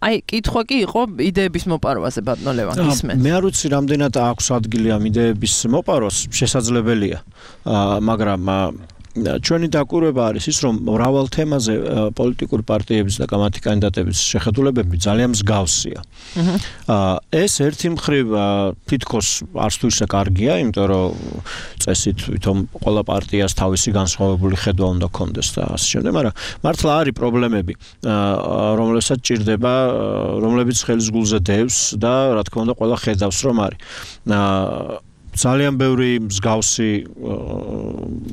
აი, კითხვა კი იყო იდეების მოპარვაზე, ბატონო ლევან, ისმენთ. მე არ ვიცი რამდენად აქვს ადგილი ამ იდეების მოპარვას, შესაძლებელია, მაგრამ ჩვენი დაკვირვება არის ის, რომ მრავალ თემაზე პოლიტიკური პარტიების და მათი კანდიდატების შეხედულებები ძალიან მსგავსია. ეს ერთი მხრივ თითქოს არც თუ ისე კარგია, იმიტომ რომ წესით ვითომ ყველა პარტიას თავისი განსხვავებული ხედვა უნდა ქონდეს და ასე შემდეგ, მაგრამ მართლა არის პრობლემები, რომლებსაც ჭირდება, რომლებიც ხელის გულზე დევს და რა თქმა უნდა ყველა ხედავს რომ არის. ძალიან ბევრი მსგავსი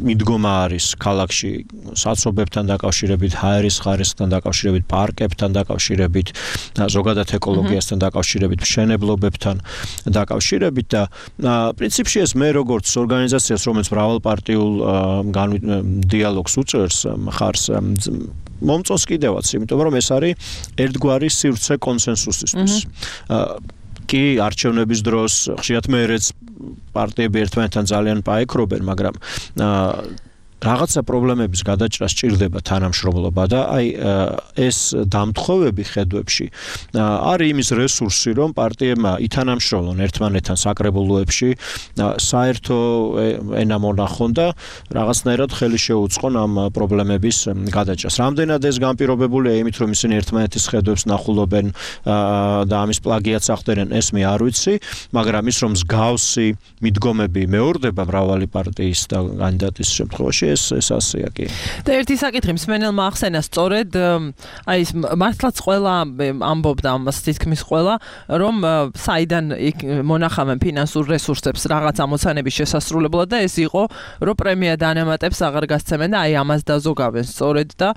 მიდგომა არის ქალაქში საცობებთან დაკავშირებით, ჰაერის ხარისხთან დაკავშირებით, პარკებთან დაკავშირებით, ზოგადად ეკოლოგიასთან დაკავშირებით, მშენებლობებთან დაკავშირებით და პრინციპში ეს მე როგორც ორგანიზაციას, რომელიც მრავალპარტიულ დიალოგს უწევს, მხარს მომწონს კიდევაც, იმიტომ რომ ეს არის ერთგვარი სივრცე კონსენსუსისთვის. კი არჩევნების დროს ხშირად მეერეც პარტიები ერთმანეთთან ძალიან პაექრობენ, მაგრამ რაღაცა პრობლემების გადაჭრა სჭირდება თანამშრომლობა და აი ეს დამთხოვები ხედვებში არის იმის რესურსი, რომ პარტიებმა ითანამშრომლონ ერთმანეთთან საკრებულოებში, საერთო ენა მონახონ და რაღაცნაირად ხელი შეუწყონ ამ პრობლემების გადაჭრას. რამდენად ეს განპირობებულია იმით, რომ ისინი ერთმანეთის ხედვებს ნახულობენ და ამის პლაგიატს ახდენენ, ეს მე არ ვიცი, მაგრამ ის რომ მსგავსი მიდგომები მეორდება მრავალი პარტიის და კანდიდატის შემთხვევაში ეს ეს ასეა კი. და ერთი საკითხი მსმენელმა ახსენა სწორედ აი ეს მართლაც ყველა ამბობდა ამას თითქმის ყველა რომ საიდან მონახავენ ფინანსურ რესურსებს რაღაც ამოცანების შესასრულებლად და ეს იყო რომ პრემია დანამატებს აღარ გასცემენ და აი ამას დაზოგავენ სწორედ და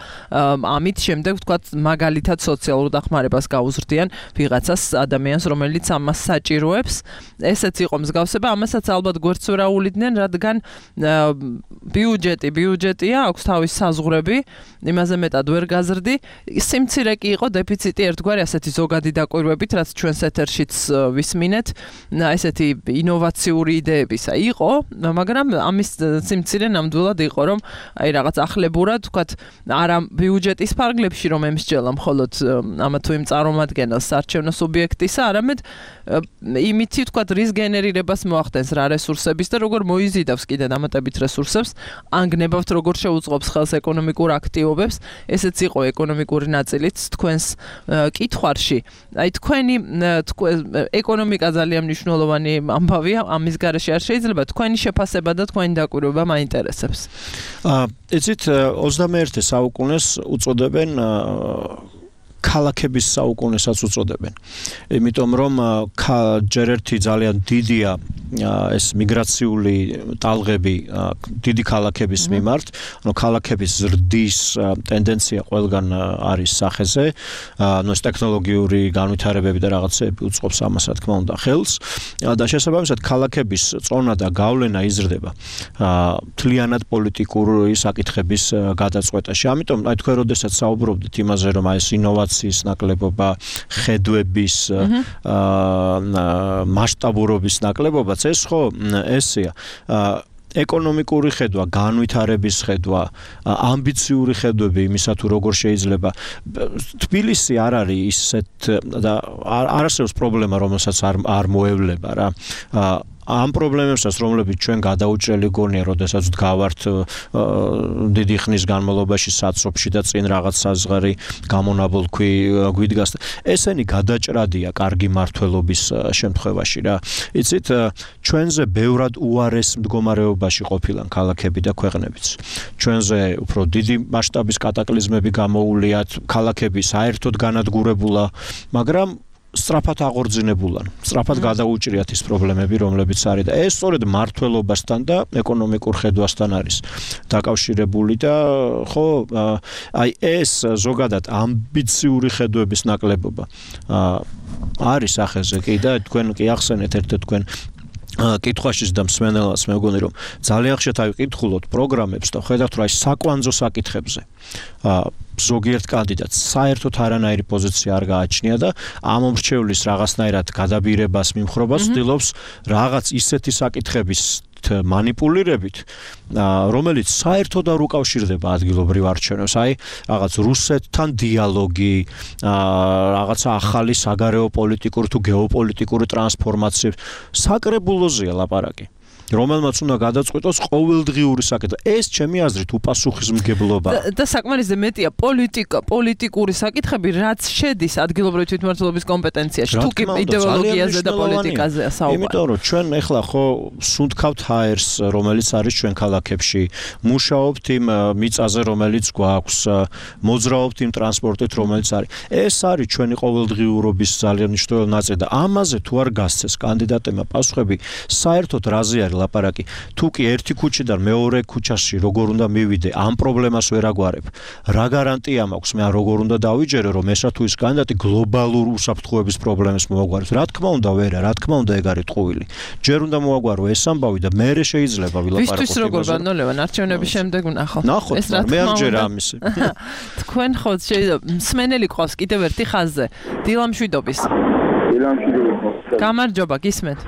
ამით შემდეგ ვთქვათ მაგალითად სოციალურ დახმარებას გაუზრდიან ვიღაცას ადამიანს რომელიც ამას საჭიროებს ესეც იყო მსგავსება ამასაც ალბათ გვერდს ვერ აულიდნენ რადგან ბიუჯეტი ბიუჯეტია, აქვს თავის საზღვრები, იმაზე მეტად ვერ გაზრდი. სიმცირე კი იყო დეფიციტი ერთგვარი ასეთი ზოგადი დაკვირვებით, რაც ჩვენს ეთერშიც ვისმინეთ, ესეთი ინოვაციური იდეებისა იყო, მაგრამ ამის სიმცირე ნამდვილად იყო, რომ აი რაღაც ახლებურად, ვთქვათ, არა ბიუჯეტის ფარგლებში რომ ემსჯელა მხოლოდ ამა თუ იმ წარმომადგენელს საარჩევნო სუბიექტისა, არამედ იმითი, ვთქვათ, რის გენერირებას მოახდენს რა რესურსების და როგორ მოიზიდავს კიდე დამატებით რესურსებს, ანგნებავთ როგორ შეუწყობს ხელს ეკონომიკურ აქტივობებს, ესეც იყო ეკონომიკური ნაწილიც თქვენს კითხვარში. აი თქვენი ეკონომიკა ძალიან მნიშვნელოვანი ამბავია, ამის გარეშე არ შეიძლება თქვენი შეფასება და თქვენი დაკვირვება მაინტერესებს. აა იცით ოცდამეერთე საუკუნეს უწოდებენ ქალაქების საუკუნესაც უწოდებენ. იმიტომ რომ ჯერ ერთი ძალიან დიდია ეს მიგრაციული ტალღები დიდი ქალაქების მიმართ, ანუ ქალაქების ზრდის ტენდენცია ყველგან არის სახეზე, ანუ ეს ტექნოლოგიური განვითარებები და რაღაცები უწყობს ამას რა თქმა უნდა ხელს და შესაბამისად ქალაქების წონა და გავლენა იზრდება მთლიანად პოლიტიკური საკითხების გადაწყვეტაში. ამიტომ აი თქვენ როდესაც საუბრობდით იმაზე რომ აი ეს ინოვაციის ნაკლებობა, ხედვების მასშტაბურობის ნაკლებობა ეს ხო ესეა ეკონომიკური ხედვა, განვითარების ხედვა, ამბიციური ხედვები იმისა თუ როგორ შეიძლება თბილისი არ არის ისეთ და არ არსებობს პრობლემა რომელსაც არ არ მოევლება რა ამ პრობლემებსაც რომლებიც ჩვენ გადაუჭრელი გონია, როდესაც ვდგავართ დიდი ხნის განმავლობაში საცობში და წინ რაღაც საზღარი გამონაბოლქვი გვიდგას. ესენი გადაჭრადია კარგი მართლობის შემთხვევაში რა. იცით, ჩვენზე ბევრად უარეს მდგომარეობაში ყოფილან ქალაქები და ქვეყნებიც. ჩვენზე უფრო დიდი მასშტაბის კატაკლიზმები გამოუვლიათ, ქალაქები საერთოდ განადგურებულა, მაგრამ სწრაფად აღორძინებულან, სწრაფად გადაუჭრიათ ის პრობლემები, რომლებიც არის და ეს სწორედ მართლობასთან და ეკონომიკურ ხედვასთან არის დაკავშირებული და ხო, აი ეს ზოგადად ამბიციური ხედვების ნაკლებობა არის ახეზე კი და თქვენ კი ახსენეთ ერთ-ერთ თქვენ კითხვაშიც და მსმენელს მე მგონი რომ ძალიან ხშირად ავიკითხულოთ პროგრამებს და ხედავთ რომ აი საკვანძო საკითხებზე ზოგიერთ კანდიდატს საერთოდ არანაირი პოზიცია არ გააჩნია და ამ მომრჩევლის რაღაცნაირად გადაბირებას მიმხრობას ცდილობს რაღაც ისეთი საკითხების манипулირებით, რომელიც საერთოდ არ უკავშირდება ადგილობრივ არჩევნებს, აი რაღაც რუსეთთან დიალოგი, რაღაცა ახალი საგარეო პოლიტიკური თუ გეოპოლიტიკური ტრანსფორმაცია საკრებულოზეა ლაპარაკი. რომელმაც უნდა გადაწყვიტოს ყოველდღიური საკითხი. ეს ჩემი აზრით უპასუხისმგებლობა. და საკმარისზე მეტია პოლიტიკა, პოლიტიკური საკითხები, რაც შედის ადგილობრივი თვითმმართველობის კომპეტენციაში, თუ კი იდეოლოგიაზე და პოლიტიკაზეა საუბარი. იმიტომ რომ ჩვენ ეხლა ხო სუნთქავთ ჰაერს, რომელიც არის ჩვენ ქალაქებში, მუშაობთ იმ მიწაზე, რომელიც გვაქვს, მოძრაობთ იმ ტრანსპორტით, რომელიც არის. ეს არის ჩვენი ყოველდღიურობის ძალიან მნიშვნელოვანი ნაწილი და ამაზე თუ არ გასცეს კანდიდატებმა პასუხები, საერთოდ რაზე არის ლაპარაკი? თუ კი ერთი ქუჩიდან მეორე ქუჩაში როგორ უნდა მივიდე, ამ პრობლემას ვერ აგვარებ. რა გარანტია მაქვს მე როგორ უნდა დავიჯერო, რომ ესა თუ ის კანდიდატი გლობალურ უსაფრთხოების პრობლემას მოაგვარებს? რა თქმა უნდა ვერა, რა თქმა უნდა ეგ არის ტყუილი. ჯერ უნდა მოაგვარო ეს ამბავი და მერე შეიძლება ვილაპარაკოთ. ვისთვის როგორ ბანოლევან არჩევნების შემდეგ ვნახავთ. ნახოთ, მე ამჯერ ამისი. თქვენ ხო შეიძლება მსმენელი ყავს კიდევ ერთი ხაზზე. დილამშვიდობის. დილამშვიდობის. გამარჯობა, გისმენთ.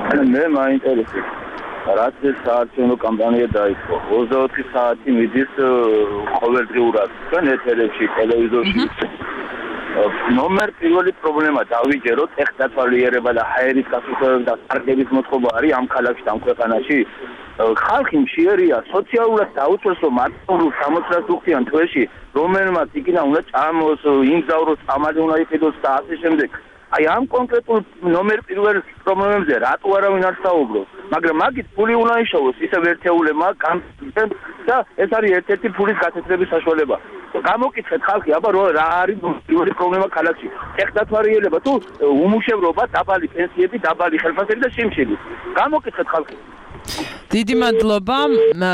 მე მაინტერესებს რაც ეს საარჩევნო კამპანია დაიწყო. ოცდაოთხი საათი მიდის ყოველდღიურად თქვენ ეთერებში, ტელევიზორში. ნომერ პირველი პრობლემა დავიჯეროთ ეხდათვალიერება და ჰაერის გასუფთავება და პარკების მოწყობა არის ამ ქალაქში და ამ ქვეყანაში. ხალხი მშიერია, სოციალურად დაუწევს რომ მარტო სამოცდას უხდიან თვეში, რომელმაც იქიდან უნდა წამოს, იმგზავროს, წამალი უნდა იყიდოს და ასე შემდეგ. აი ამ კონკრეტულ ნომერ პირველ პრობლემებზე რატო არავინ არ საუბრობს? მაგრამ მაგით ფული უნდა იშოვოს ისევ ერთეულებმა კამპანიამ და ეს არის ერთ-ერთი ფულის გასაცდების საშუალება. გამოკითხეთ ხალხი, აბა რა არის პირველი პრობლემა ქალაქში? ეხდათვალიერება თუ უმუშევრობა, დაბალი პენსიები, დაბალი ხელფასები და შიმშილი. გამოკითხეთ ხალხი. დიდი მადლობა,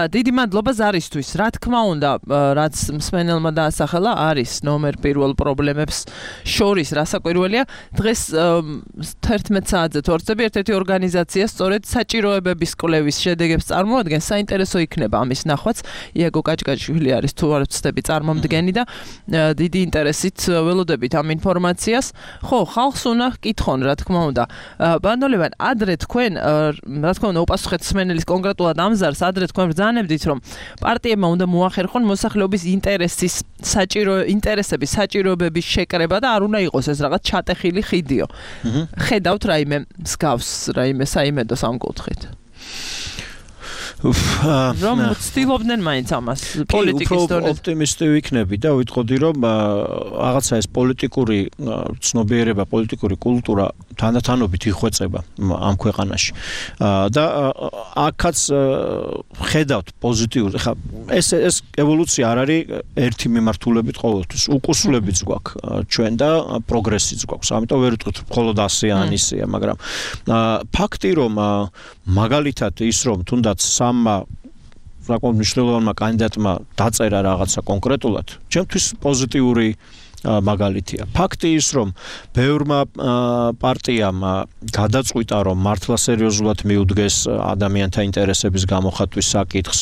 დიდი მადლობა ზარისთვის. რა თქმა უნდა, რაც მსმენელმა დაასახელა, არის ნომერ პირველ პრობლემებს შორის რასაკვირველია. დღეს თერთმეტ საათზე თორცები ერთ-ერთი ორგანიზაცია სწორედ საჭიროებების კვლევის შედეგებს წარმოადგენს. საინტერესო იქნება ამის ნახვაც. იაგო კაჭკაჭვილი არის თუ არ ვცდები წარმომდგენი და დიდი ინტერესით ველოდებით ამ ინფორმაციას. ხო, ხალხს უნდა კითხონ, რა თქმა უნდა. ბანოლევან, ადრე თქვენ, რა თქმა უნდა, უპასუხეთ მსმენელის კონკრეტულად ამზარს, ადრე თქვენ ბრძანებდით, რომ პარტიებმა უნდა მოახერხონ მოსახლეობის ინტერესის საჭირო ინტერესების საჭიროებების შეკრება და არ უნდა იყოს ეს რაღაც ჩატეხილი ხიდიო. ხედავთ რაიმე მსგავს, რაიმე საიმედოს ამ კუთხით. რომ ცდილობდნენ მაინც ამას პოლიტიკის დონეზე. ოპტიმისტი ვიქნები და ვიტყოდი რომ რაღაცა ეს პოლიტიკური ცნობიერება, პოლიტიკური კულტურა თანდათანობით იხვეწება ამ ქვეყანაში. და აქაც ხედავთ პოზიტიურ. ხა ეს ეს ევოლუცია არ არის ერთი მიმართულებით ყოველთვის. უკუსვლებიც გვაქვს ჩვენ და პროგრესიც გვაქვს. ამიტომ ვერ ვიტყვით მხოლოდ ასე ან ისეა, მაგრამ ფაქტი რომ მაგალითად ის რომ თუნდაც სამმა საკმაოდ მნიშვნელოვანმა კანდიდატმა დაწერა რაღაცა კონკრეტულად, ჩემთვის პოზიტიური მაგალითია. ფაქტი ის რომ ბევრმა პარტიამ გადაწყვიტა რომ მართლა სერიოზულად მიუდგეს ადამიანთა ინტერესების გამოხატვის საკითხს,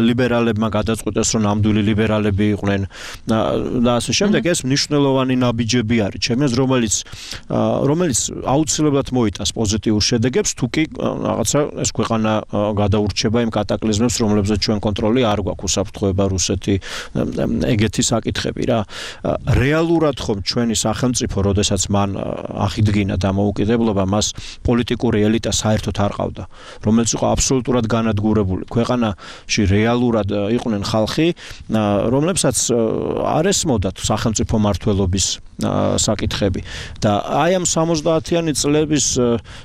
ლიბერალებმა გადაწყვიტეს რომ ნამდვილი ლიბერალები იყვნენ და ასე შემდეგ. ეს მნიშვნელოვანი ნაბიჯები არის ჩემს რომელიც რომელიც აუცილებლად მოიტანს პოზიტიურ შედეგებს, თუ კი რაღაცა ეს ქვეყანა გადაურჩება იმ კატაკლიზმებს, რომლებზეც ჩვენ კონტროლი არ გვაქვს, უსაფრთხოება, რუსეთი, ეგეთი საკითხები რა. რეალურად ხომ ჩვენი სახელმწიფო, როდესაც მან ახიდგინა დამოუკიდებლობა, მას პოლიტიკური ელიტა საერთოდ არ ყავდა, რომელიც იყო აბსოლუტურად განადგურებული. ქვეყანაში რეალურად იყვნენ ხალხი, რომლებსაც არ ესმოდათ სახელმწიფო მმართველობის საკითხები და აი ამ სამოცდაათიანი წლების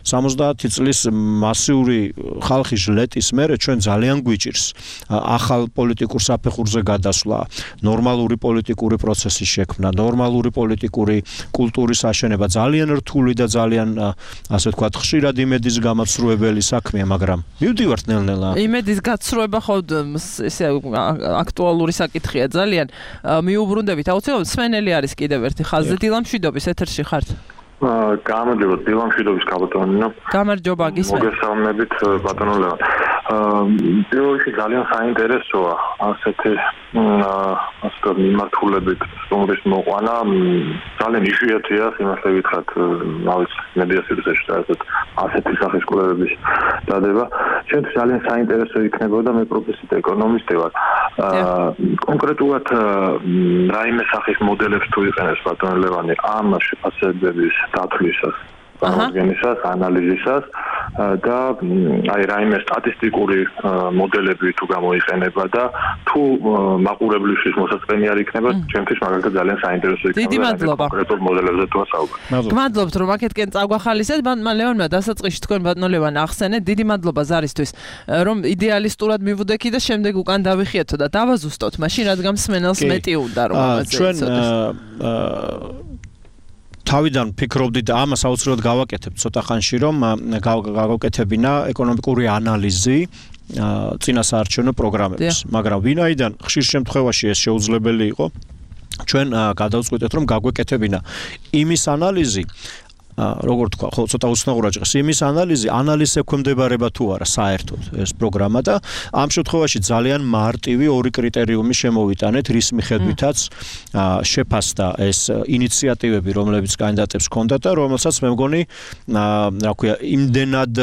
სამოცდაათი წლის მასიური ხალხი ჟლეტის მერე ჩვენ ძალიან გვიჭირს ახალ პოლიტიკურ საფეხურზე გადასვლა, ნორმალური პოლიტიკური პროცესის შექმნა, ნორმალური პოლიტიკური კულტურის აშენება, ძალიან რთული და ძალიან ასე ვთქვათ, ხშირად იმედის გამაცრუებელი საქმეა, მაგრამ მივდივართ ნელ-ნელა. იმედის გაცრუება ხო ესე აქტუალური საკითხია ძალიან. მიუბრუნდებით, აუცილებლად მსმენელი არის კიდევ ერთი ხაზზე. დილამშვიდობის ეთერში ხართ. გამარჯობა, დილამშვიდობის კაპიტანინა. გამარჯობა, გისმენთ. მოგესალმებით, ბატონო ლევან. პირველში ძალიან საინტერესოა ასეთი ასე მიმართულებით სტუმრის მოყვანა. ძალიან იშვიათია, იმასე ვითხრათ, ავიც მედია სივრცეში და ასეთ ასეთი სახის კვლევების დადება. ჩვენთვის ძალიან საინტერესო იქნებოდა, მე პროფესიით ეკონომისტი ვარ. კონკრეტულად რაიმე სახის მოდელებს თუ იყენებს ბატონო ლევანი ამ შეფასებების დათვლისას, წარმოდგენისას, ანალიზისას და აი რაიმე სტატისტიკური მოდელები თუ გამოიყენება და თუ მაყურებლისთვის მოსაწყენი არ იქნება, ჩემთვის მაგალითად ძალიან საინტერესო იქნება. დიდი მადლობა. კონკრეტულ მოდელებზე თუ ასაუბრებთ. გმადლობთ რომ აქეთკენ წაგვახალისეთ, ბატონმა ლევონმა დასაწყისში თქვენ ბატონო ლევან ახსენეთ, დიდი მადლობა ზარისთვის, რომ იდეალისტურად მივუდექი და შემდეგ უკან დავიხიეთო და დავაზუსტოთ, მაშინ რადგან მსმენელს მეტი უნდა რომ ამაზე ჩვენ თავიდან ფიქრობდით და ამას აუცილებლად გავაკეთებთ ცოტა ხანში, რომ გავაკეთებინა ეკონომიკური ანალიზი წინასაარჩევნო პროგრამების, მაგრამ ვინაიდან ხშირ შემთხვევაში ეს შეუძლებელი იყო, ჩვენ გადავწყვიტეთ, რომ გაგვეკეთებინა იმის ანალიზი, როგორ თქვა, ხო, ცოტა უცნაურად ჭრეს, იმის ანალიზი, ანალიზს ექვემდებარება თუ არა საერთოდ ეს პროგრამა და ამ შემთხვევაში ძალიან მარტივი ორი კრიტერიუმი შემოვიტანეთ, რის მიხედვითაც შეფასდა ეს ინიციატივები, რომლებიც კანდიდატებს ჰქონდათ და რომელსაც მე მგონი, რა ქვია, იმდენად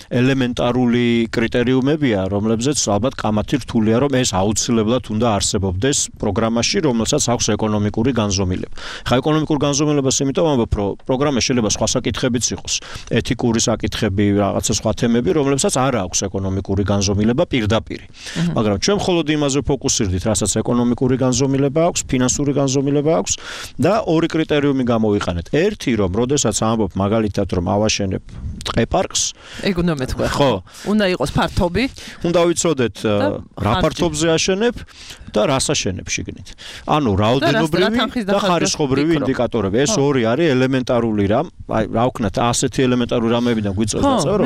ელემენტარული კრიტერიუმებია, რომლებზეც ალბათ კამათი რთულია, რომ ეს აუცილებლად უნდა არსებობდეს პროგრამაში, რომელსაც აქვს ეკონომიკური განზომილება. ხა ეკონომიკურ განზომილებას იმიტომ ამბობ, რომ პროგრამა შეიძლება სხვა საკითხებიც იყოს, ეთიკური საკითხები, რაღაცა სხვა თემები, რომლებსაც არ აქვს ეკონომიკური განზომილება პირდაპირ. მაგრამ ჩვენ მხოლოდ იმაზე ფოკუსირდით, რასაც ეკონომიკური განზომილება აქვს, ფინანსური განზომილება აქვს და ორი კრიტერიუმი გამოვიყენეთ. ერთი, რომ როდესაც ამბობ მაგალითად, რომ ავაშენებ ტყეპარკს, ეგ უნდა მეთქვა. ხო, უნდა იყოს ფართობი. უნდა ვიცოდეთ რა ფართობზე აშენებ და რას აშენებ შიგნით. ანუ რაოდენობრივი და ხარისხობრივი ინდიკატორები. ეს ორი არის ელემენტარული რამ, აი რა ვქნათ, ასეთი ელემენტარული რამებიდან გვიწევს დაწერო.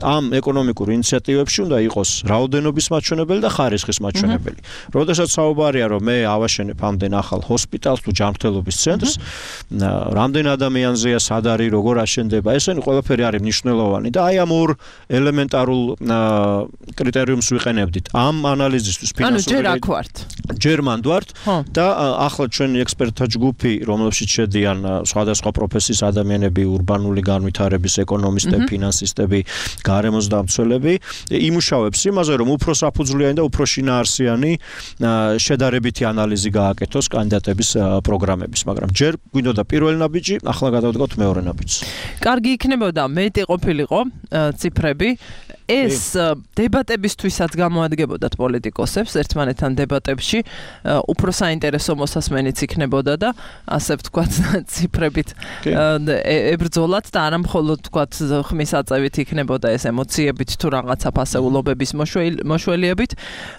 ამ ეკონომიკურ ინიციატივებში უნდა იყოს რაოდენობის მაჩვენებელი და ხარისხის მაჩვენებელი. როდესაც საუბარია, რომ მე ავაშენებ ამდენ ახალ ჰოსპიტალს თუ ჯანმრთელობის ცენტრს, რამდენ ადამიანზეა, სად არის, როგორ აშენდება, ესენი ყველაფერი არის მნიშვნელოვანი და აი ამ ორ ელემენტარულ კრიტერიუმს ვიყენებდით. ამ ანალიზისთვის ფინანსური ანუ ჯერ აქ ვართ. ჯერ მანდ ვართ და ახლა ჩვენი ექსპერტთა ჯგუფი, რომლებშიც შედიან სხვადასხვა პროფესიის ადამიანები, ურბანული განვითარების ეკონომისტები, ფინანსისტები, გარემოს დამცველები, იმუშავებს იმაზე, რომ უფრო საფუძვლიანი და უფრო შინაარსიანი შედარებითი ანალიზი გააკეთოს კანდიდატების პროგრამების, მაგრამ ჯერ გვინდოდა პირველი ნაბიჯი, ახლა გადავდგოთ მეორე ნაბიჯს. კარგი იქნებოდა მეტი ყოფილიყო ციფრები. ეს დებატებისთვისაც გამოადგებოდათ პოლიტიკოსებს ერთმანეთთან დებატებში, უფრო საინტერესო მოსასმენიც იქნებოდა და ასე ვთქვათ ციფრებით ებრძოლათ და არა მხოლოდ ვთქვათ ხმის აწევით იქნებოდა ეს ემოციებით თუ რაღაცა ფასეულობების მოშველიებით.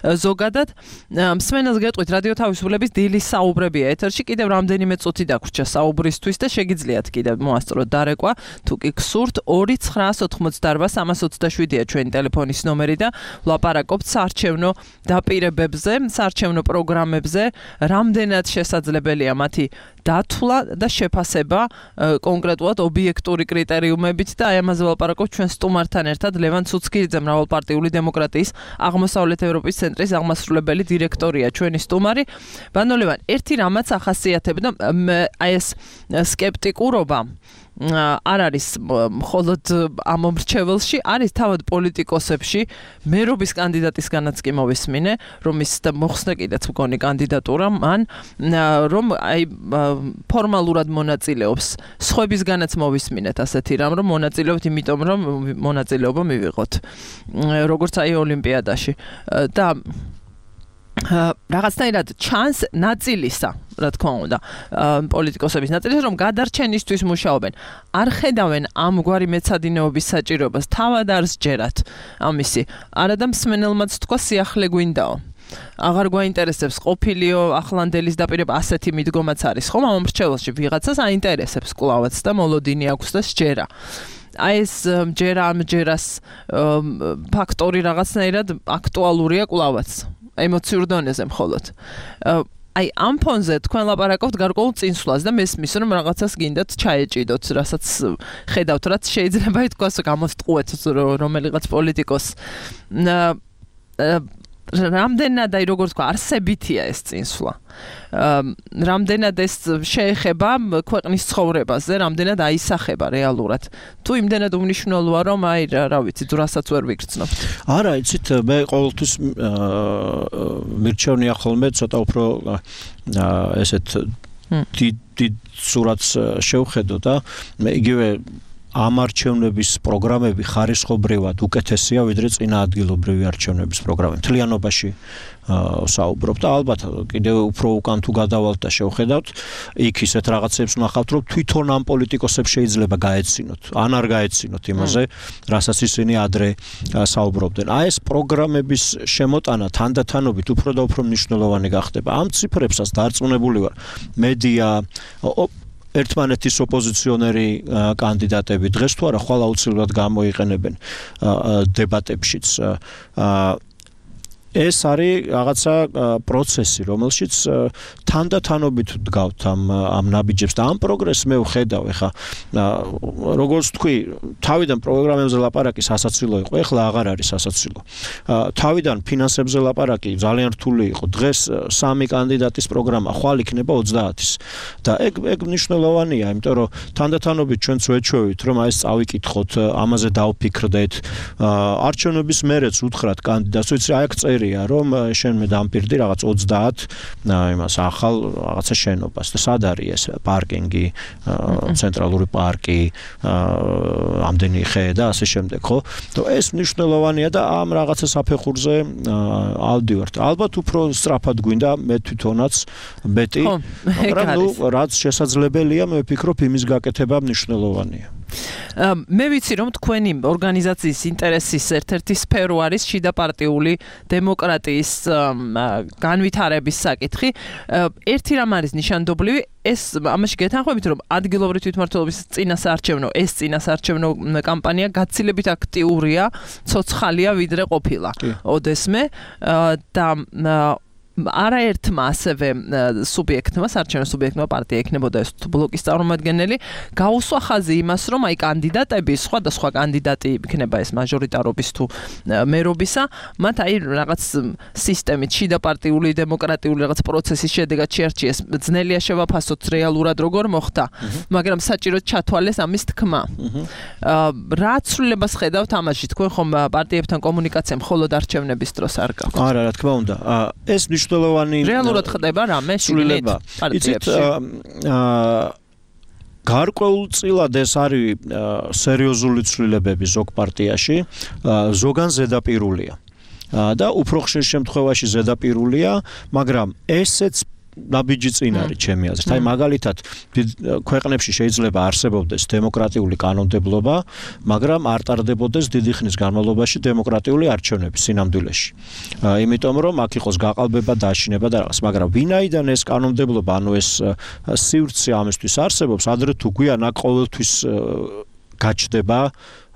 ზოგადად მსმენელს გეტყვით რადიო თავისუფლების დილის საუბრებია ეთერში, კიდევ რამდენიმე წუთი დაგვრჩა საუბრისთვის და შეგიძლიათ კიდევ მოასწროთ დარეკვა, თუ კი გსურთ ორი ცხრა ოთხმოცდაარბა სამას ოცდაშვიდია ჩვენი ტელეფონის ნომერი და ვლაპარაკობთ საარჩევნო დაპირებებზე, საარჩევნო პროგრამებზე, რამდენად შესაძლებელია მათი დათვლა და შეფასება კონკრეტულად ობიექტური კრიტერიუმებით და აი ამაზე ვლაპარაკობთ ჩვენ სტუმართან ერთად ლევან ცუცქირიძე, მრავალპარტიული დემოკრატიის აღმოსავლეთ ევროპის ცენტრის აღმასრულებელი დირექტორია ჩვენი სტუმარი. ბანო ლევან, ერთი რამაც ახასიათებდა აი ეს სკეპტიკურობა არ არის მხოლოდ ამ მომრჩეველში, არის თავად პოლიტიკოსებში, მერობის კანდიდატისგანაც კი მოვისმინე, რომ ის მოხსნა კიდეც მგონი კანდიდატურა, მან რომ აი ფორმალურად მონაწილეობს. სხვებისგანაც მოვისმინეთ ასეთი რამ, რომ მონაწილეობთ იმიტომ, რომ მონაწილეობა მივიღოთ. როგორც აი ოლიმპიადაში და რაღაცნაირად ჩანს ნაწილისა, რა თქმა უნდა, პოლიტიკოსების ნაწილის, რომ გადარჩენისთვის მუშაობენ. არ ხედავენ ამგვარი მეცადინეობის საჭიროებას, თავად არ სჯერათ ამისი. არადა მსმენელმაც თქვა სიახლე გვინდაო. აღარ გვაინტერესებს ყოფილიო ახლანდელის დაპირება, ასეთი მიდგომაც არის, ხომ? ამ მრჩეველში ვიღაცას აინტერესებს კვლავაც და მოლოდინი აქვს და სჯერა. აი ეს ჯერა ამ ჯერას ფაქტორი რაღაცნაირად აქტუალურია კვლავაც. ემოციურ დონეზე მხოლოდ. აი ამ ფონზე თქვენ ლაპარაკობთ გარკვეულ წინსვლას და მესმის რომ რაღაცას გინდათ ჩაეჭიდოთ, რასაც ხედავთ, რაც შეიძლება ითქვას გამოსტყუეთ რომელიღაც პოლიტიკოს. რამდენად აი როგორ თქვა, არსებითია ეს წინსვლა. რამდენად ეს შეეხება ქვეყნის ცხოვრებაზე, რამდენად აისახება რეალურად. თუ იმდენად უმნიშვნელოა, რომ აი რა ვიცი, რასაც ვერ ვიგრძნობთ. არა, იცით, მე ყოველთვის მირჩევნია ხოლმე ცოტა უფრო ესეთ დიდ სურათს შევხედო და მე იგივე ამ არჩევნების პროგრამები ხარისხობრივად უკეთესია ვიდრე წინა ადგილობრივი არჩევნების პროგრამები. მთლიანობაში საუბრობ და ალბათ კიდევ უფრო უკან თუ გადავალთ და შევხედავთ, იქ ისეთ რაღაცებს ვნახავთ, რომ თვითონ ამ პოლიტიკოსებს შეიძლება გაეცინოთ, ან არ გაეცინოთ იმაზე, რასაც ისინი ადრე საუბრობდნენ. აი ეს პროგრამების შემოტანა თანდათანობით უფრო და უფრო მნიშვნელოვანი გახდება. ამ ციფრებსაც დარწმუნებული ვარ, მედია ერთმანეთის ოპოზიციონერი კანდიდატები დღეს თუ არა ხვალ აუცილებლად გამოიყენებენ დებატებშიც. ეს არის რაღაცა პროცესი, რომელშიც თანდათანობით დგავთ ამ ამ ნაბიჯებს და ამ პროგრესს მე ვხედავ, ეხა როგორც თქვი, თავიდან პროგრამებზე ლაპარაკი სასაცილო იყო, ეხლა აღარ არის სასაცილო. თავიდან ფინანსებზე ლაპარაკი ძალიან რთული იყო. დღეს სამი კანდიდატის პროგრამა ხვალ იქნება ოცდაათის. და ეგ ეგ მნიშვნელოვანია, იმიტომ რომ თანდათანობით ჩვენც ვეჩვევით, რომ აი ეს წავიკითხოთ, ამაზე დავფიქრდეთ. არჩევნების მერეც უთხრათ კანდიდატს, ვიცი, აი აქ წერი რომ შენ მე დამპირდი რაღაც ოცდაათ იმას ახალ რაღაცა შენობას და სად არის ეს პარკინგი, ცენტრალური პარკი, ამდენი ხე და ასე შემდეგ, ხო? ეს მნიშვნელოვანია და ამ რაღაცა საფეხურზე ავდივართ. ალბათ უფრო სწრაფად გვინდა მე თვითონაც ბეტი, მაგრამ ნუ რაც შესაძლებელია, მე ვფიქრობ იმის გაკეთება მნიშვნელოვანია. მე ვიცი რომ თქვენი ორგანიზაციის ინტერესის ერთ-ერთი სფერო არის შიდა პარტიული დემოკრატიის განვითარების საკითხი. ერთი რამ არის ნიშანდობლივი, ეს ამაში გეთანხმებით რომ ადგილობრივი თვითმმართველობის წინასაარჩევნო ეს წინასაარჩევნო კამპანია გაცილებით აქტიურია, ცოცხალია ვიდრე ყოფილა. ოდესმე და არაერთმა ასევე სუბიექტმა, საარჩევნო სუბიექტმა პარტია იქნებოდა ეს ბლოკის წარმომადგენელი, გაუსვა ხაზი იმას, რომ აი კანდიდატები, სხვადასხვა კანდიდატი იქნება ეს მაჟორიტარობის თუ მერობისა, მათ აი რაღაც სისტემით, შიდა პარტიული, დემოკრატიული რაღაც პროცესის შედეგად შეარჩიეს. ძნელია შევაფასოთ რეალურად როგორ მოხდა, მაგრამ საჭიროდ ჩათვალეს ამის თქმა. რა ცვლილებას ხედავთ ამაში? თქვენ ხომ პარტიებთან კომუნიკაცია მხოლოდ არჩევნების დროს არ გაქვთ? არა, რა თქმა უნდა. ეს მნიშვნელოვანი რეალურად ხდება რამე შიგნით პარტიებში. გარკვეულწილად ეს არის სერიოზული ცვლილებები ზოგ პარტიაში, ზოგან ზედაპირულია. და უფრო ხშირ შემთხვევაში ზედაპირულია, მაგრამ ესეც ნაბიჯი წინ არის ჩემი აზრით. აი მაგალითად ქვეყნებში შეიძლება არსებობდეს დემოკრატიული კანონმდებლობა, მაგრამ არ ტარდებოდეს დიდი ხნის განმავლობაში დემოკრატიული არჩევნები სინამდვილეში. იმიტომ რომ აქ იყოს გაყალბება, დაშინება და რაღაც, მაგრამ ვინაიდან ეს კანონმდებლობა, ანუ ეს სივრცე ამისთვის არსებობს, ადრე თუ გვიან აქ ყოველთვის გაჩნდება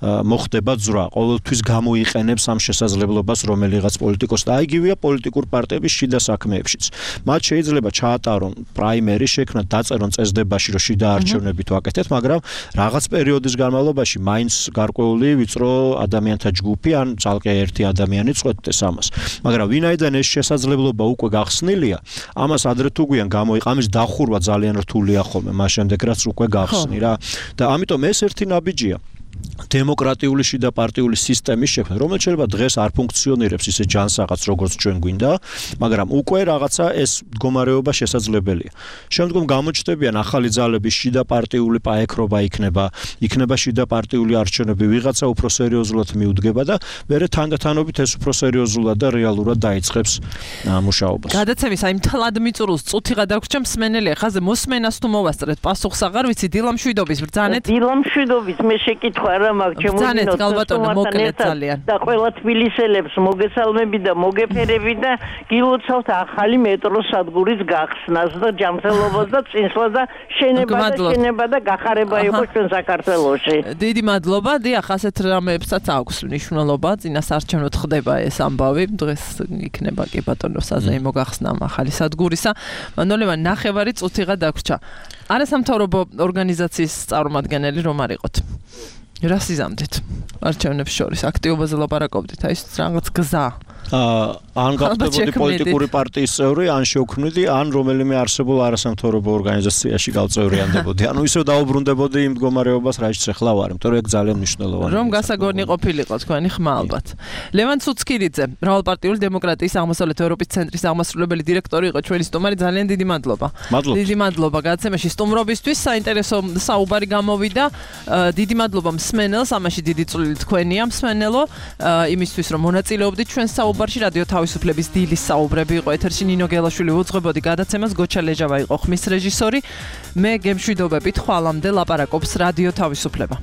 მოხდება ძრა, ყოველთვის გამოიყენებს ამ შესაძლებლობას რომელიღაც პოლიტიკოსს და აიგივეა პოლიტიკურ პარტიების შიდა საქმეებშიც. მათ შეიძლება ჩაატარონ პრაიმერი, შექმნათ, დაწერონ წესდებაში, რომ შიდა არჩევნები თუ აკეთეთ, მაგრამ რაღაც პერიოდის განმავლობაში მაინც გარკვეული ვიწრო ადამიანთა ჯგუფი ან ძალკე ერთი ადამიანი წყვეტდეს ამას. მაგრამ ვინაიდან ეს შესაძლებლობა უკვე გახსნილია, ამას ადრე თუ გვიან გამოიყ, ამის დახურვა ძალიან რთულია ხოლმე, მას შემდეგ რაც უკვე გახსნი რა. და ამიტომ ეს ერთი ნაბიჯია. დემოკრატიული შიდა პარტიული სისტემის შექმნა, რომელიც შეიძლება დღეს არ ფუნქციონირებს ისე ჯანსაღაც, როგორც ჩვენ გვინდა, მაგრამ უკვე რაღაცა ეს მდგომარეობა შესაძლებელია. შემდგომ გამოჩნდებიან ახალი ძალების შიდა პარტიული პაექრობა იქნება, იქნება შიდა პარტიული არჩევნები, ვიღაცა უფრო სერიოზულად მიუდგება და მერე თანდათანობით ეს უფრო სერიოზულად და რეალურად დაიწყებს მუშაობას. გადაცემის აი მთლად მიწურულს წუთი გადაგვრჩა მსმენელი, ხაზე მოსმენას თუ მოვასწრეთ, პასუხს აღარ ვიცი, დილამშვიდობის ბრძანეთ. დილამშვიდობის მე შეკითხვა რა მაქვს ჩემოდინოთ და ყველა თბილისელებს მოგესალმები და მოგეფერები და გილოცავთ ახალი მეტროს სადგურის გახსნას და ჯანმრთელობას და წინსვლას და შენება და შენება და გახარება იყოს ჩვენ საქართველოში. დიდი მადლობა, დიახ, ასეთ რამეებსაც აქვს მნიშვნელობა, წინასაარჩევნოდ ხდება ეს ამბავი, დღეს იქნება კი ბატონო საზეიმო გახსნა ახალი სადგურისა. მანოლევა ნახევარი წუთიღა დაგვრჩა. არასამთავრობო ორგანიზაციის წარმომადგენელი რომ არ იყოთ. რას იზამთით არჩევნებს შორის აქტიობაზე ლაპარაკობდით, აი რაღაც გზა ან გავხდებოდი პოლიტიკური პარტიის წევრი, ან შევქმნიდი, ან რომელიმე არსებულ არასამთავრობო ორგანიზაციაში გავწევრიანდებოდი. ანუ ისევ დაუბრუნდებოდი იმ მდგომარეობას, რასაც ახლა ვარ, იმიტომ რომ ეგ ძალიან მნიშვნელოვანია. რომ გასაგონი ყოფილიყო თქვენი ხმა ალბათ. ლევან ცუცკირიძე, მრავალპარტიული დემოკრატიის აღმოსავლეთ ევროპის ცენტრის აღმასრულებელი დირექტორი იყო ჩვენი სტუმარი, ძალიან დიდი მადლობა. დიდი მადლობა გადაცემაში სტუმრობისთვის, საინტერესო საუბარი გამოვიდა. დიდი მადლობა მსმენელს, ამაში დიდი წვლილი თქვენია მსმენელო, იმისთვის რომ მონაწილეობდით ჩვენ საუბარში. რადიო თავისუფლების დილის საუბრები იყო ეთერში, ნინო გელაშვილი უძღვებოდი გადაცემას, გოჩა ლეჟავა იყო ხმის რეჟისორი. მე გემშვიდობებით, ხვალამდე ლაპარაკობს რადიო თავისუფლება.